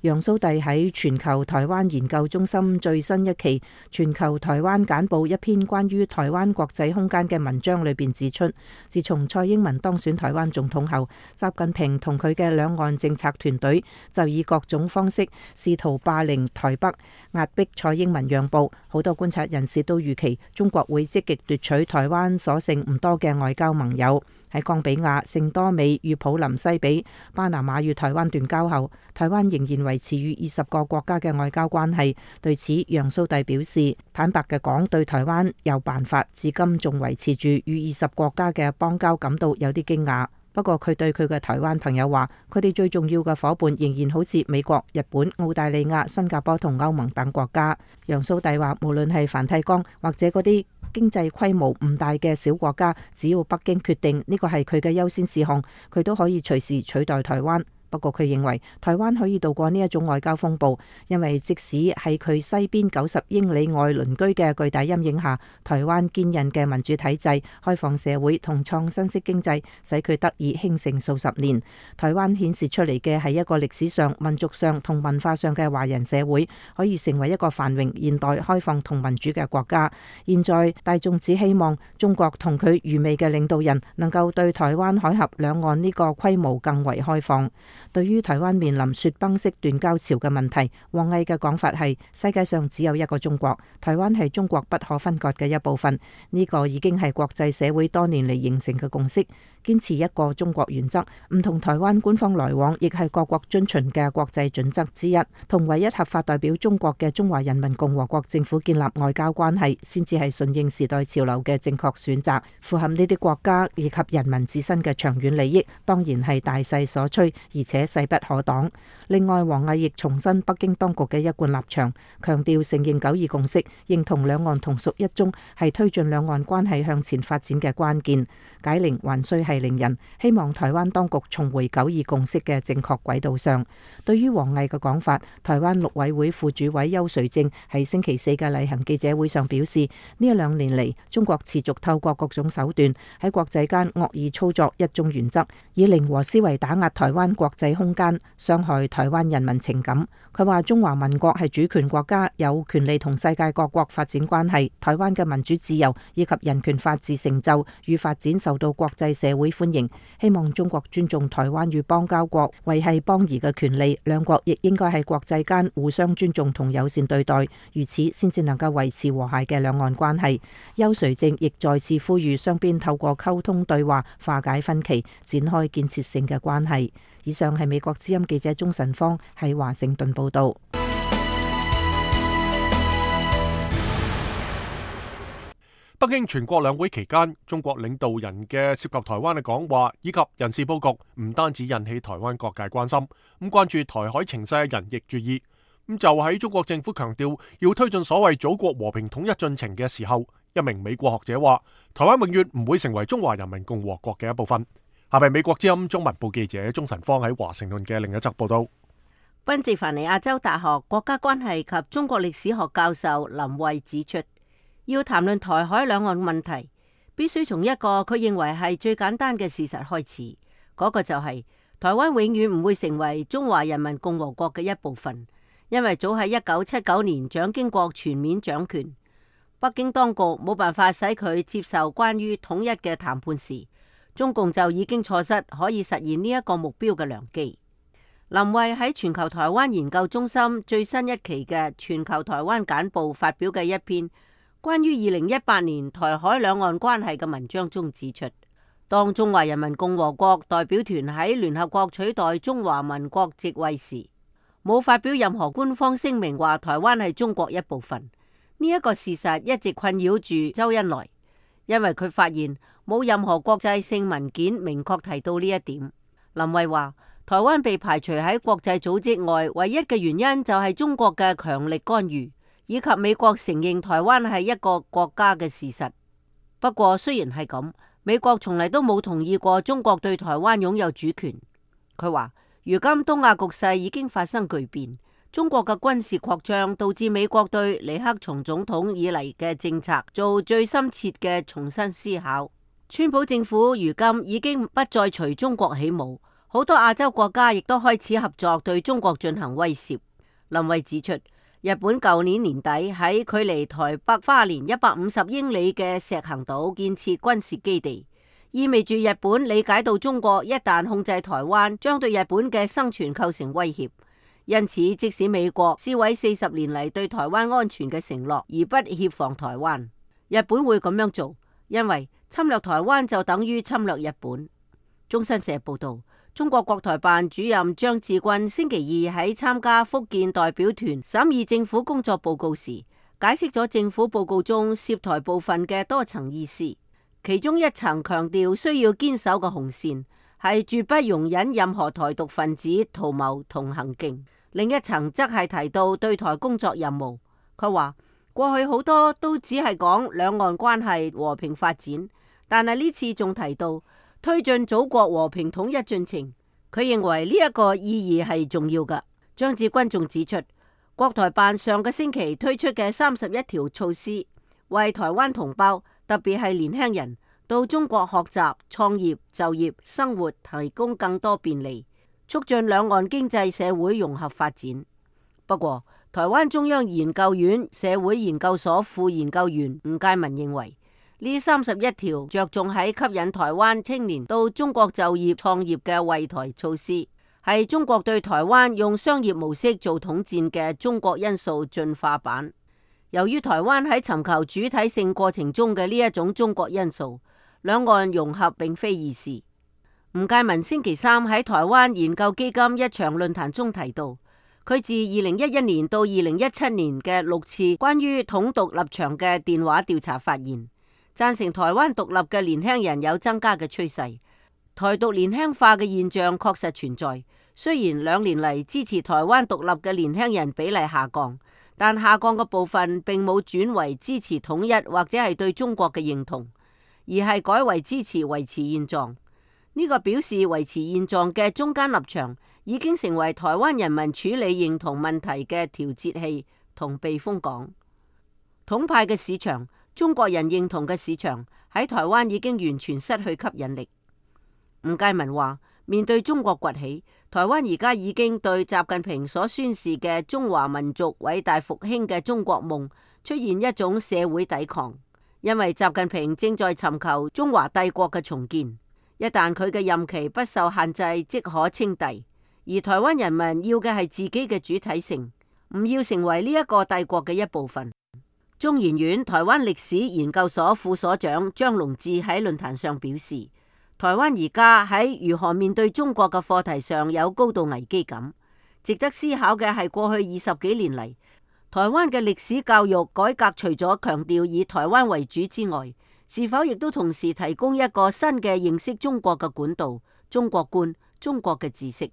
楊蘇棣喺全球台灣研究中心最新一期全球台灣簡報一篇關於台灣國際空間嘅文章裏邊指出，自從蔡英文當選台灣總統後，習近平同佢嘅兩岸政策團隊就以各種方式試圖霸凌台北，壓迫蔡英文讓步。好多觀察人士都預期中國會積極奪取台灣所剩唔多嘅外交盟友。喺岡比亞、聖多美與普林西比、巴拿馬與台灣斷交後，台灣仍然維持與二十個國家嘅外交關係。對此，楊蘇棣表示，坦白嘅講，對台灣有辦法，至今仲維持住與二十國家嘅邦交感到有啲驚訝。不過佢對佢嘅台灣朋友話，佢哋最重要嘅夥伴仍然好似美國、日本、澳大利亞、新加坡同歐盟等國家。楊蘇棣話，無論係梵蒂岡或者嗰啲經濟規模唔大嘅小國家，只要北京決定呢個係佢嘅優先事項，佢都可以隨時取代台灣。不過佢認為台灣可以度過呢一種外交風暴，因為即使喺佢西邊九十英里外鄰居嘅巨大陰影下，台灣堅韌嘅民主體制、開放社會同創新式經濟，使佢得以興盛數十年。台灣顯示出嚟嘅係一個歷史上、民族上同文化上嘅華人社會，可以成為一個繁榮、現代、開放同民主嘅國家。現在大眾只希望中國同佢愚昧嘅領導人能夠對台灣海峽兩岸呢個規模更為開放。對於台灣面臨雪崩式斷交潮嘅問題，王毅嘅講法係：世界上只有一個中國，台灣係中國不可分割嘅一部分。呢個已經係國際社會多年嚟形成嘅共識。堅持一個中國原則，唔同台灣官方來往，亦係各國遵循嘅國際準則之一。同唯一合法代表中國嘅中華人民共和國政府建立外交關係，先至係順應時代潮流嘅正確選擇，符合呢啲國家以及人民自身嘅長遠利益，當然係大勢所趨，而且且勢不可擋。另外，王毅亦重申北京當局嘅一貫立場，強調承認九二共識，認同兩岸同屬一中係推進兩岸關係向前發展嘅關鍵。解鈴還須繫鈴人，希望台灣當局重回九二共識嘅正確軌道上。對於王毅嘅講法，台灣陸委會副主委邱垂正喺星期四嘅例行記者會上表示，呢一兩年嚟，中國持續透過各種手段喺國際間惡意操作一中原則，以零和思維打壓台灣國際空間，傷害台灣人民情感。佢話中華民國係主權國家，有權利同世界各國發展關係。台灣嘅民主自由以及人權法治成就與發展受到國際社會歡迎。希望中國尊重台灣與邦交國維繫邦誼嘅權利，兩國亦應該喺國際間互相尊重同友善對待，如此先至能夠維持和諧嘅兩岸關係。邱垂正亦再次呼籲雙邊透過溝通對話化解分歧，展開建設性嘅關係。以上係美國之音記者鍾晨芳喺華盛頓報道。北京全國兩會期間，中國領導人嘅涉及台灣嘅講話以及人事佈局，唔單止引起台灣各界關心，咁關注台海情勢嘅人亦注意。咁就喺中國政府強調要推進所謂祖國和平統一進程嘅時候，一名美國學者話：台灣永遠唔會成為中華人民共和國嘅一部分。下邊美國之音中文部記者鍾晨芳喺華盛頓嘅另一則報道。賓夕凡尼亞州大學國家關係及中國歷史學教授林慧指出，要談論台海兩岸問題，必須從一個佢認為係最簡單嘅事實開始，嗰、那個就係、是、台灣永遠唔會成為中華人民共和國嘅一部分，因為早喺一九七九年蔣經國全面掌權，北京當局冇辦法使佢接受關於統一嘅談判時，中共就已經錯失可以實現呢一個目標嘅良機。林慧喺全球台灣研究中心最新一期嘅全球台灣簡報發表嘅一篇關於二零一八年台海兩岸關係嘅文章中指出，當中華人民共和國代表團喺聯合國取代中華民國席位時，冇發表任何官方聲明話台灣係中國一部分。呢、這、一個事實一直困擾住周恩來，因為佢發現冇任何國際性文件明確提到呢一點。林慧話，台灣被排除喺國際組織外，唯一嘅原因就係中國嘅強力干預，以及美國承認台灣係一個國家嘅事實。不過雖然係咁，美國從嚟都冇同意過中國對台灣擁有主權。佢話，如今東亞局勢已經發生巨變，中國嘅軍事擴張導致美國對李克強總統以嚟嘅政策做最深切嘅重新思考。川普政府如今已經不再隨中國起舞，好多亞洲國家亦都開始合作對中國進行威懾。林慧指出，日本舊年年底喺距離台北花蓮一百五十英里嘅石垣島建設軍事基地，意味住日本理解到中國一旦控制台灣，將對日本嘅生存構成威脅。因此，即使美國撕毀四十年嚟對台灣安全嘅承諾，而不協防台灣，日本會咁樣做，因為侵略台灣就等於侵略日本。中新社報道，中國國台辦主任張志軍星期二喺參加福建代表團審議政府工作報告時，解釋咗政府報告中涉台部分嘅多層意思。其中一層強調需要堅守嘅紅線係絕不容忍任何台獨分子圖謀同行徑，另一層則係提到對台工作任務。佢話過去好多都只係講兩岸關係和平發展，但係呢次仲提到推進祖國和平統一進程。佢認為呢一個意義係重要㗎。張志軍仲指出，國台辦上個星期推出嘅三十一條措施，為台灣同胞，特別係年輕人到中國學習、創業、就業、生活提供更多便利，促進兩岸經濟社會融合發展。不過，台灣中央研究院社會研究所副研究員吳介民認為，呢三十一條着重喺吸引台灣青年到中國就業創業嘅惠台措施，係中國對台灣用商業模式做統戰嘅中國因素進化版。由於台灣喺尋求主體性過程中嘅呢一種中國因素，兩岸融合並非易事。吳介民星期三喺台灣研究基金一場論壇中提到，佢自二零一一年到二零一七年嘅六次關於統獨立場嘅電話調查發現，贊成台灣獨立嘅年輕人有增加嘅趨勢，台獨年輕化嘅現象確實存在。雖然兩年嚟支持台灣獨立嘅年輕人比例下降，但下降嘅部分並冇轉為支持統一或者係對中國嘅認同，而係改為支持維持現狀。呢個表示維持現狀嘅中間立場已經成為台灣人民處理認同問題嘅調節器同避風港。統派嘅市場，中國人認同嘅市場喺台灣已經完全失去吸引力。吳介民話：面對中國崛起，台灣而家已經對習近平所宣示嘅中華民族偉大復興嘅中國夢出現一種社會抵抗，因為習近平正在尋求中華帝國嘅重建。一旦佢嘅任期不受限制，即可稱帝。而台灣人民要嘅係自己嘅主體性，唔要成為呢一個帝國嘅一部分。中研院台灣歷史研究所副所長張龍志喺論壇上表示，台灣而家喺如何面對中國嘅課題上有高度危機感。值得思考嘅係過去二十幾年嚟，台灣嘅歷史教育改革除咗強調以台灣為主之外，是否亦都同時提供一個新嘅認識中國嘅管道、中國觀、中國嘅知識？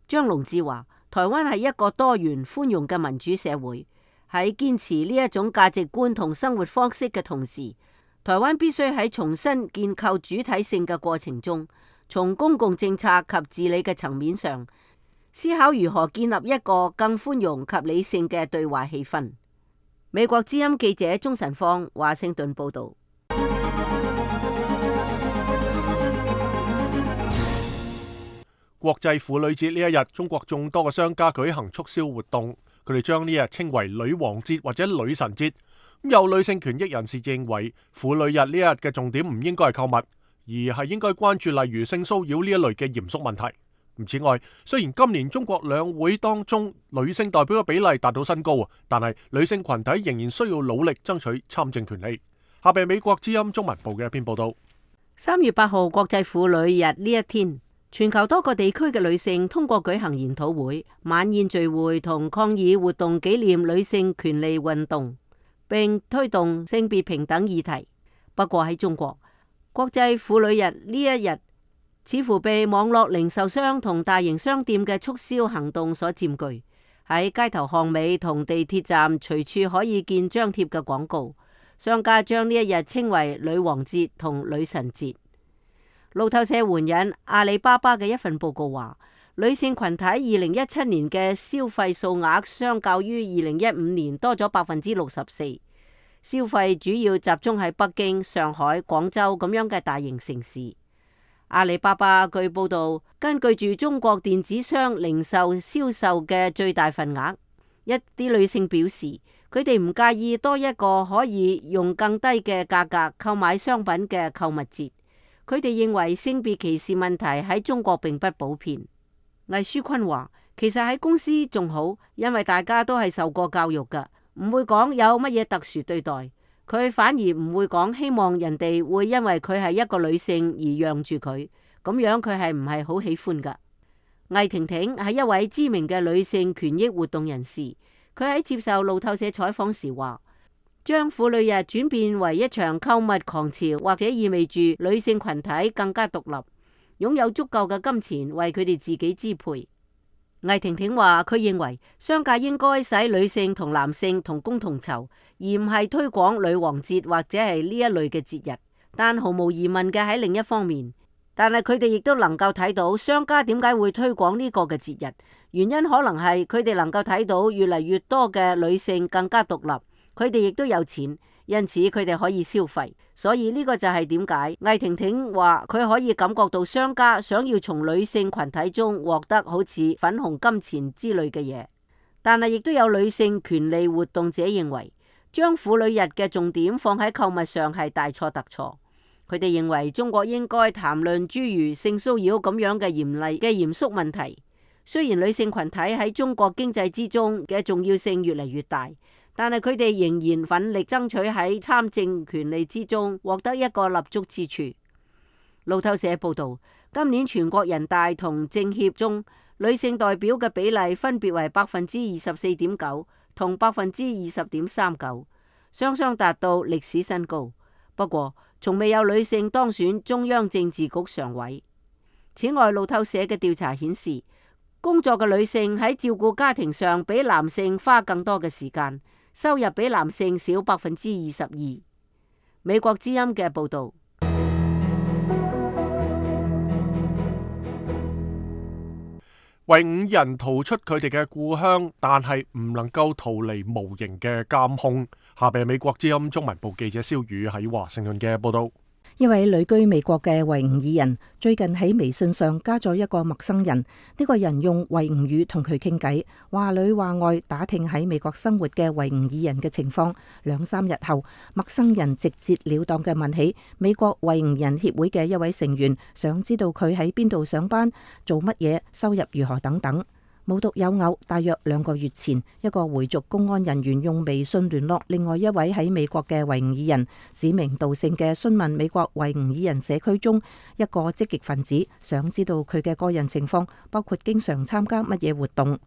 張龍志話：台灣係一個多元寬容嘅民主社會，喺堅持呢一種價值觀同生活方式嘅同時，台灣必須喺重新建構主體性嘅過程中，從公共政策及治理嘅層面上，思考如何建立一個更寬容及理性嘅對話氣氛。美國之音記者鍾晨芳華盛頓報道。國際婦女節呢一日，中國眾多嘅商家舉行促銷活動，佢哋將呢日稱為女王節或者女神節。咁有女性權益人士認為，婦女日呢一日嘅重點唔應該係購物，而係應該關注例如性騷擾呢一類嘅嚴肅問題。此外，雖然今年中國兩會當中女性代表嘅比例達到新高，但係女性群體仍然需要努力爭取參政權利。下邊美國之音中文部嘅一篇報道。三月八號國際婦女日呢一天，全球多個地區嘅女性通過舉行研討會、晚宴聚會同抗議活動紀念女性權利運動，並推動性別平等議題。不過喺中國，國際婦女日呢一日似乎被網絡零售商同大型商店嘅促銷行動所佔據。喺街頭巷尾同地鐵站隨處可以見張貼嘅廣告，商家將呢一日稱為女王節同女神節。路透社援引阿里巴巴嘅一份報告話，女性群體二零一七年嘅消費數額相較於二零一五年多咗百分之六十四，消費主要集中喺北京、上海、廣州咁樣嘅大型城市。阿里巴巴據報道，根據住中國電子商零售銷售嘅最大份額，一啲女性表示，佢哋唔介意多一個可以用更低嘅價格購買商品嘅購物節。佢哋認為性別歧視問題喺中國並不普遍。魏書坤話：其實喺公司仲好，因為大家都係受過教育㗎，唔會講有乜嘢特殊對待。佢反而唔會講希望人哋會因為佢係一個女性而讓住佢，咁樣佢係唔係好喜歡㗎？魏婷婷係一位知名嘅女性權益活動人士，佢喺接受路透社採訪時話：將婦女日轉變為一場購物狂潮，或者意味住女性群體更加獨立，擁有足夠嘅金錢為佢哋自己支配。魏婷婷話：佢認為商界應該使女性同男性同工同酬，而唔係推廣女王節或者係呢一類嘅節日。但毫無疑問嘅喺另一方面，但係佢哋亦都能夠睇到商家點解會推廣呢個嘅節日，原因可能係佢哋能夠睇到越嚟越多嘅女性更加獨立。佢哋亦都有錢，因此佢哋可以消費，所以呢個就係點解魏婷婷話佢可以感覺到商家想要從女性群體中獲得好似粉紅金錢之類嘅嘢。但係亦都有女性權利活動者認為，將婦女日嘅重點放喺購物上係大錯特錯。佢哋認為中國應該談論諸如性騷擾咁樣嘅嚴厲嘅嚴肅問題。雖然女性群體喺中國經濟之中嘅重要性越嚟越大，但係佢哋仍然奮力爭取喺參政權利之中獲得一個立足之處。路透社報道，今年全國人大同政協中女性代表嘅比例分別為百分之二十四點九同百分之二十點三九，雙雙達到歷史新高。不過，從未有女性當選中央政治局常委。此外，路透社嘅調查顯示，工作嘅女性喺照顧家庭上比男性花更多嘅時間，收入比男性少百分之二十二。美國之音嘅報道。維吾爾人逃出佢哋嘅故鄉，但係唔能夠逃離無形嘅監控。下邊係美國之音中文部記者蕭宇喺華盛頓嘅報道。一位旅居美國嘅維吾爾人最近喺微信上加咗一個陌生人，呢個人用維吾語同佢傾偈，話裏話外打聽喺美國生活嘅維吾爾人嘅情況。兩三日後，陌生人直截了當嘅問起美國維吾爾人協會嘅一位成員，想知道佢喺邊度上班、做乜嘢、收入如何等等。無獨有偶，大約兩個月前，一個回族公安人員用微信聯絡另外一位喺美國嘅維吾爾人，指名道姓嘅詢問美國維吾爾人社區中一個積極分子，想知道佢嘅個人情況，包括經常參加乜嘢活動。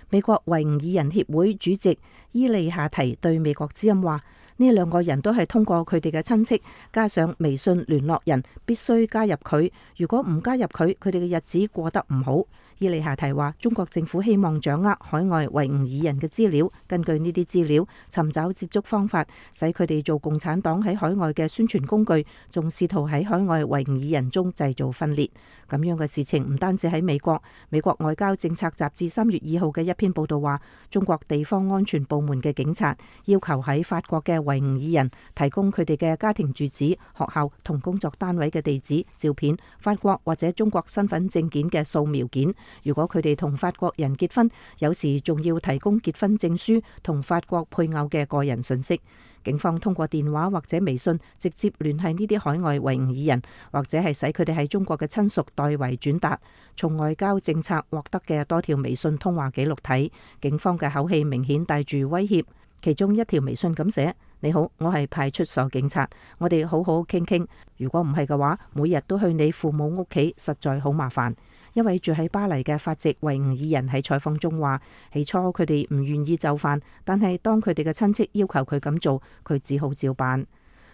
美國維吾爾人協會主席伊利夏提對美國之音話：呢兩個人都係通過佢哋嘅親戚加上微信聯絡人，必須加入佢。如果唔加入佢，佢哋嘅日子過得唔好。伊利夏提話：中國政府希望掌握海外維吾爾人嘅資料，根據呢啲資料尋找接觸方法，使佢哋做共產黨喺海外嘅宣傳工具，仲試圖喺海外維吾爾人中製造分裂。咁樣嘅事情唔單止喺美國，美國外交政策雜誌三月二號嘅一篇報道話，中國地方安全部門嘅警察要求喺法國嘅維吾爾人提供佢哋嘅家庭住址、學校同工作單位嘅地址、照片、法國或者中國身份證件嘅掃描件。如果佢哋同法國人結婚，有時仲要提供結婚證書同法國配偶嘅個人信息。警方通過電話或者微信直接聯繫呢啲海外維吾爾人，或者係使佢哋喺中國嘅親屬代為轉達。從外交政策獲得嘅多條微信通話記錄睇，警方嘅口氣明顯帶住威脅。其中一條微信咁寫：你好，我係派出所警察，我哋好好傾傾。如果唔係嘅話，每日都去你父母屋企，實在好麻煩。一位住喺巴黎嘅法籍維吾爾人喺採訪中話：起初佢哋唔願意就範，但係當佢哋嘅親戚要求佢咁做，佢只好照辦。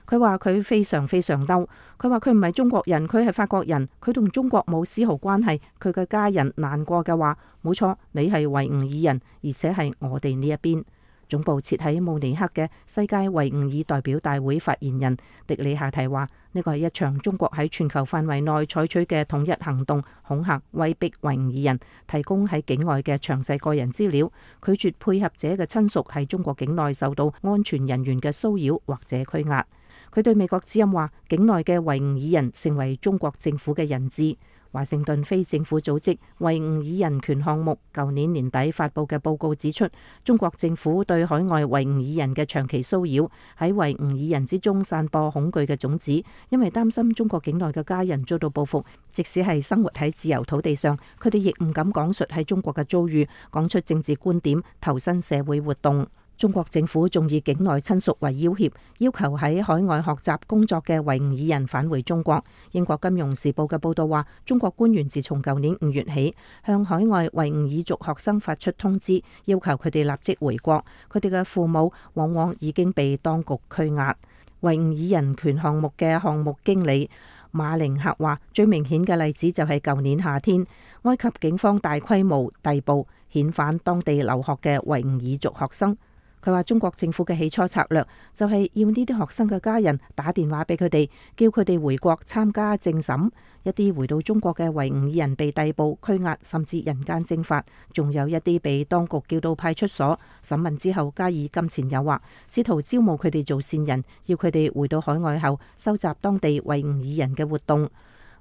佢話佢非常非常嬲，佢話佢唔係中國人，佢係法國人，佢同中國冇絲毫關係。佢嘅家人難過嘅話：冇錯，你係維吾爾人，而且係我哋呢一邊。總部設喺慕尼黑嘅世界維吾爾代表大會發言人迪里夏提話：呢個係一場中國喺全球範圍內採取嘅統一行動，恐嚇威逼維吾爾人提供喺境外嘅詳細個人資料，拒絕配合者嘅親屬喺中國境內受到安全人員嘅騷擾或者拘押。佢對美國之音話：境內嘅維吾爾人成為中國政府嘅人質。華盛頓非政府組織維吾爾人權項目舊年年底發布嘅報告指出，中國政府對海外維吾爾人嘅長期騷擾，喺維吾爾人之中散播恐懼嘅種子，因為擔心中國境內嘅家人遭到報復，即使係生活喺自由土地上，佢哋亦唔敢講述喺中國嘅遭遇，講出政治觀點，投身社會活動。中國政府仲以境內親屬為要挾，要求喺海外學習工作嘅維吾爾人返回中國。英國金融時報嘅報道話，中國官員自從舊年五月起，向海外維吾爾族學生發出通知，要求佢哋立即回國。佢哋嘅父母往往已經被當局拘押。維吾爾人權項目嘅項目經理馬寧克話，最明顯嘅例子就係舊年夏天，埃及警方大規模逮捕遣返當地留學嘅維吾爾族學生。佢話中國政府嘅起初策略就係要呢啲學生嘅家人打電話俾佢哋，叫佢哋回國參加政審。一啲回到中國嘅維吾爾人被逮捕、拘押，甚至人間蒸發；仲有一啲被當局叫到派出所審問之後，加以金錢誘惑，試圖招募佢哋做線人，要佢哋回到海外後收集當地維吾爾人嘅活動。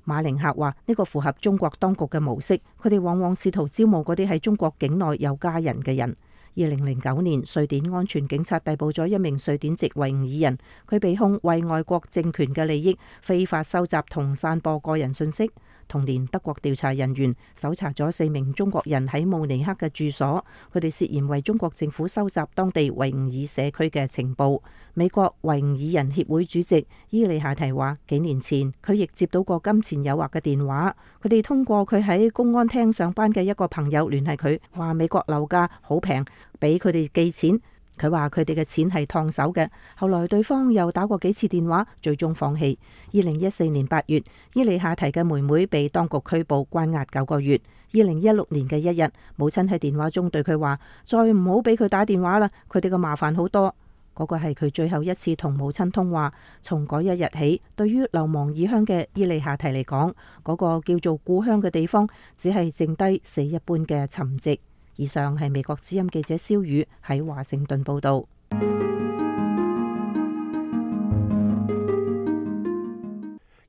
馬寧克話呢個符合中國當局嘅模式，佢哋往往試圖招募嗰啲喺中國境內有家人嘅人。二零零九年，瑞典安全警察逮捕咗一名瑞典籍維吾爾人，佢被控為外國政權嘅利益非法收集同散播個人信息。同年，德國調查人員搜查咗四名中國人喺慕尼黑嘅住所，佢哋涉嫌為中國政府收集當地維吾爾社區嘅情報。美國維吾爾人協會主席伊利夏提話，幾年前佢亦接到過金錢誘惑嘅電話，佢哋通過佢喺公安廳上班嘅一個朋友聯繫佢，話美國樓價好平，俾佢哋寄錢。佢話佢哋嘅錢係燙手嘅，後來對方又打過幾次電話，最終放棄。二零一四年八月，伊莉夏提嘅妹妹被當局拘捕關押九個月。二零一六年嘅一日，母親喺電話中對佢話：再唔好俾佢打電話啦，佢哋嘅麻煩好多。嗰個係佢最後一次同母親通話。從嗰一日起，對於流亡異鄉嘅伊莉夏提嚟講，嗰個叫做故鄉嘅地方，只係剩低死一般嘅沉寂。以上係美國之音記者蕭宇喺華盛頓報道。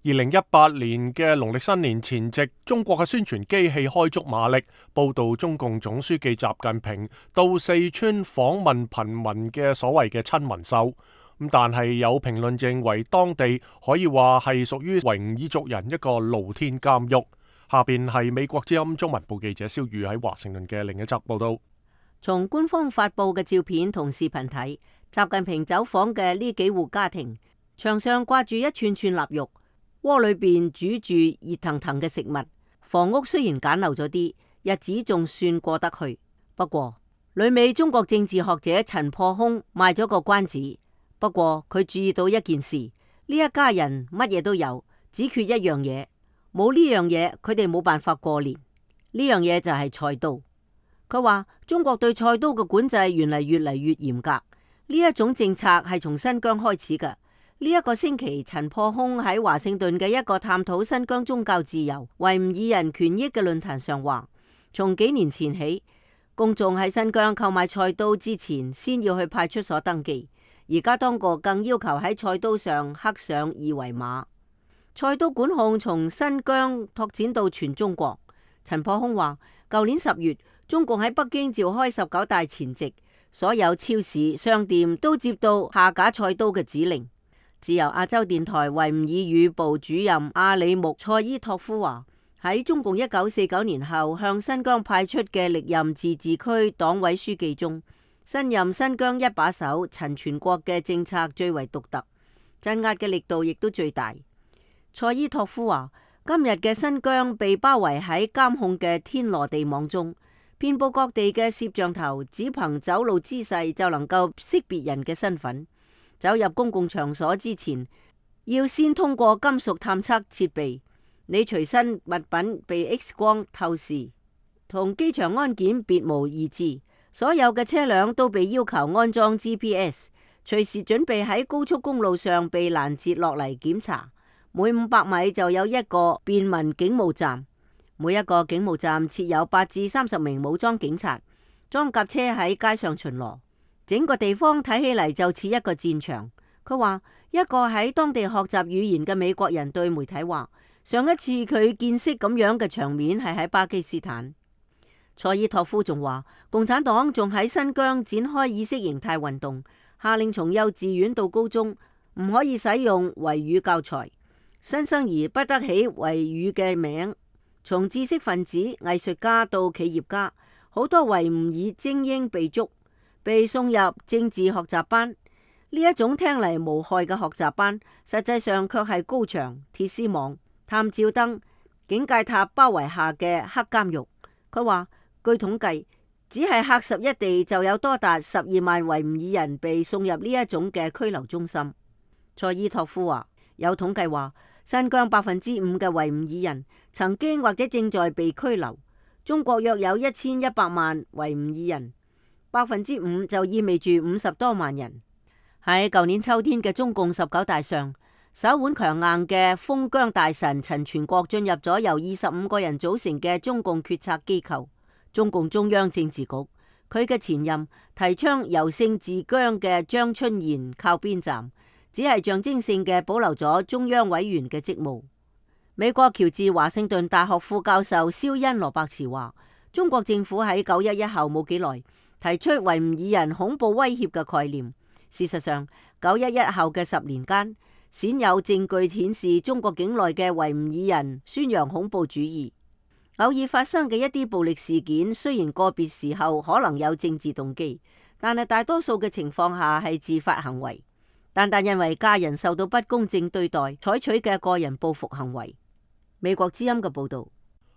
二零一八年嘅農曆新年前夕，中國嘅宣傳機器開足馬力，報道中共總書記習近平到四川訪問貧民嘅所謂嘅親民秀。咁但係有評論認為，當地可以話係屬於維吾爾族人一個露天監獄。下邊係美國之音中文部記者蕭宇喺華盛頓嘅另一則報道。從官方發佈嘅照片同視頻睇，習近平走訪嘅呢幾戶家庭，牆上掛住一串串臘肉，鍋裏邊煮住熱騰騰嘅食物。房屋雖然簡陋咗啲，日子仲算過得去。不過，旅美中國政治學者陳破空賣咗個關子。不過佢注意到一件事，呢一家人乜嘢都有，只缺一樣嘢。冇呢樣嘢，佢哋冇辦法過年。呢樣嘢就係菜刀。佢話中國對菜刀嘅管制原嚟越嚟越嚴格。呢一種政策係從新疆開始嘅。呢一個星期，陳破空喺華盛頓嘅一個探討新疆宗教自由、維吾爾人權益嘅論壇上話，從幾年前起，公眾喺新疆購買菜刀之前，先要去派出所登記。而家當局更要求喺菜刀上刻上二維碼。菜刀管控從新疆拓展到全中國。陳破空話，舊年十月，中共喺北京召開十九大前夕，所有超市、商店都接到下架菜刀嘅指令。自由亞洲電台維吾爾語部主任阿里木賽伊托夫話，喺中共一九四九年後向新疆派出嘅歷任自治區黨委書記中，新任新疆一把手陳全國嘅政策最為獨特，鎮壓嘅力度亦都最大。賽伊托夫話，今日嘅新疆被包圍喺監控嘅天羅地網中，遍佈各地嘅攝像頭，只憑走路姿勢就能夠識別人嘅身份。走入公共場所之前，要先通過金屬探測設備，你隨身物品被 X 光透視，同機場安檢別無二致。所有嘅車輛都被要求安裝 G P S， 隨時準備喺高速公路上被攔截落嚟檢查。每五百米就有一個便民警務站，每一個警務站設有八至三十名武裝警察，裝甲車喺街上巡邏。整個地方睇起嚟就似一個戰場。佢話，一個喺當地學習語言嘅美國人對媒體話，上一次佢見識咁樣嘅場面係喺巴基斯坦。賽伊托夫仲話，共產黨仲喺新疆展開意識形態運動，下令從幼稚園到高中唔可以使用維語教材。新生兒不得起維語嘅名，從知識分子、藝術家到企業家，好多維吾爾精英被捉，被送入政治學習班。呢一種聽嚟無害嘅學習班，實際上卻係高牆、鐵絲網、探照燈、警戒塔包圍下嘅黑監獄。佢話，據統計，只係喀什一地就有多達十二萬維吾爾人被送入呢一種嘅拘留中心。賽伊托夫話，有統計話，新疆百分之五嘅維吾爾人曾經或者正在被拘留。中國約有一千一百萬維吾爾人，百分之五就意味住五十多萬人。喺舊年秋天嘅中共十九大上，手腕強硬嘅封疆大臣陳全國進入咗由二十五個人組成嘅中共決策機構中共中央政治局。佢嘅前任提倡由盛治疆嘅張春賢靠邊站，只係象徵性嘅保留咗中央委員嘅職務。美國喬治華盛頓大學副教授肖恩羅伯茨話，中國政府喺九一一後冇幾耐提出維吾爾人恐怖威脅嘅概念。事實上，九一一後嘅十年間，鮮有證據顯示中國境內嘅維吾爾人宣揚恐怖主義。偶爾發生嘅一啲暴力事件，雖然個別時候可能有政治動機，但係大多數嘅情況下係自發行為，單單因為家人受到不公正對待採取嘅個人報復行為。美國之音嘅報道。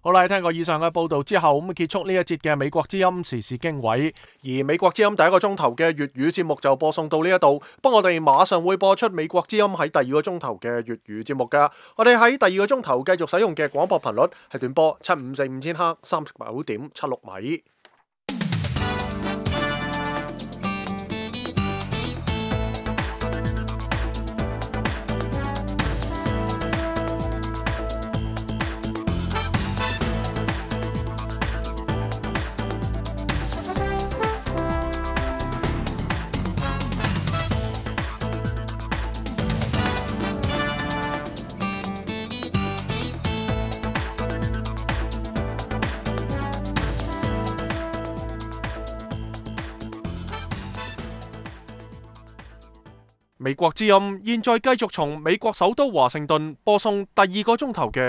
好啦，聽過以上嘅報道之後，咁結束呢一節嘅美國之音時事經緯。而美國之音第一個鐘頭嘅粵語節目就播送到呢一度，不過我哋馬上會播出美國之音喺第二個鐘頭嘅粵語節目噶。我哋喺第二個鐘頭繼續使用嘅廣播頻率係短波七五四五千赫三十九點七六米。美國之音現在繼續從美國首都華盛頓播送第二個鐘頭嘅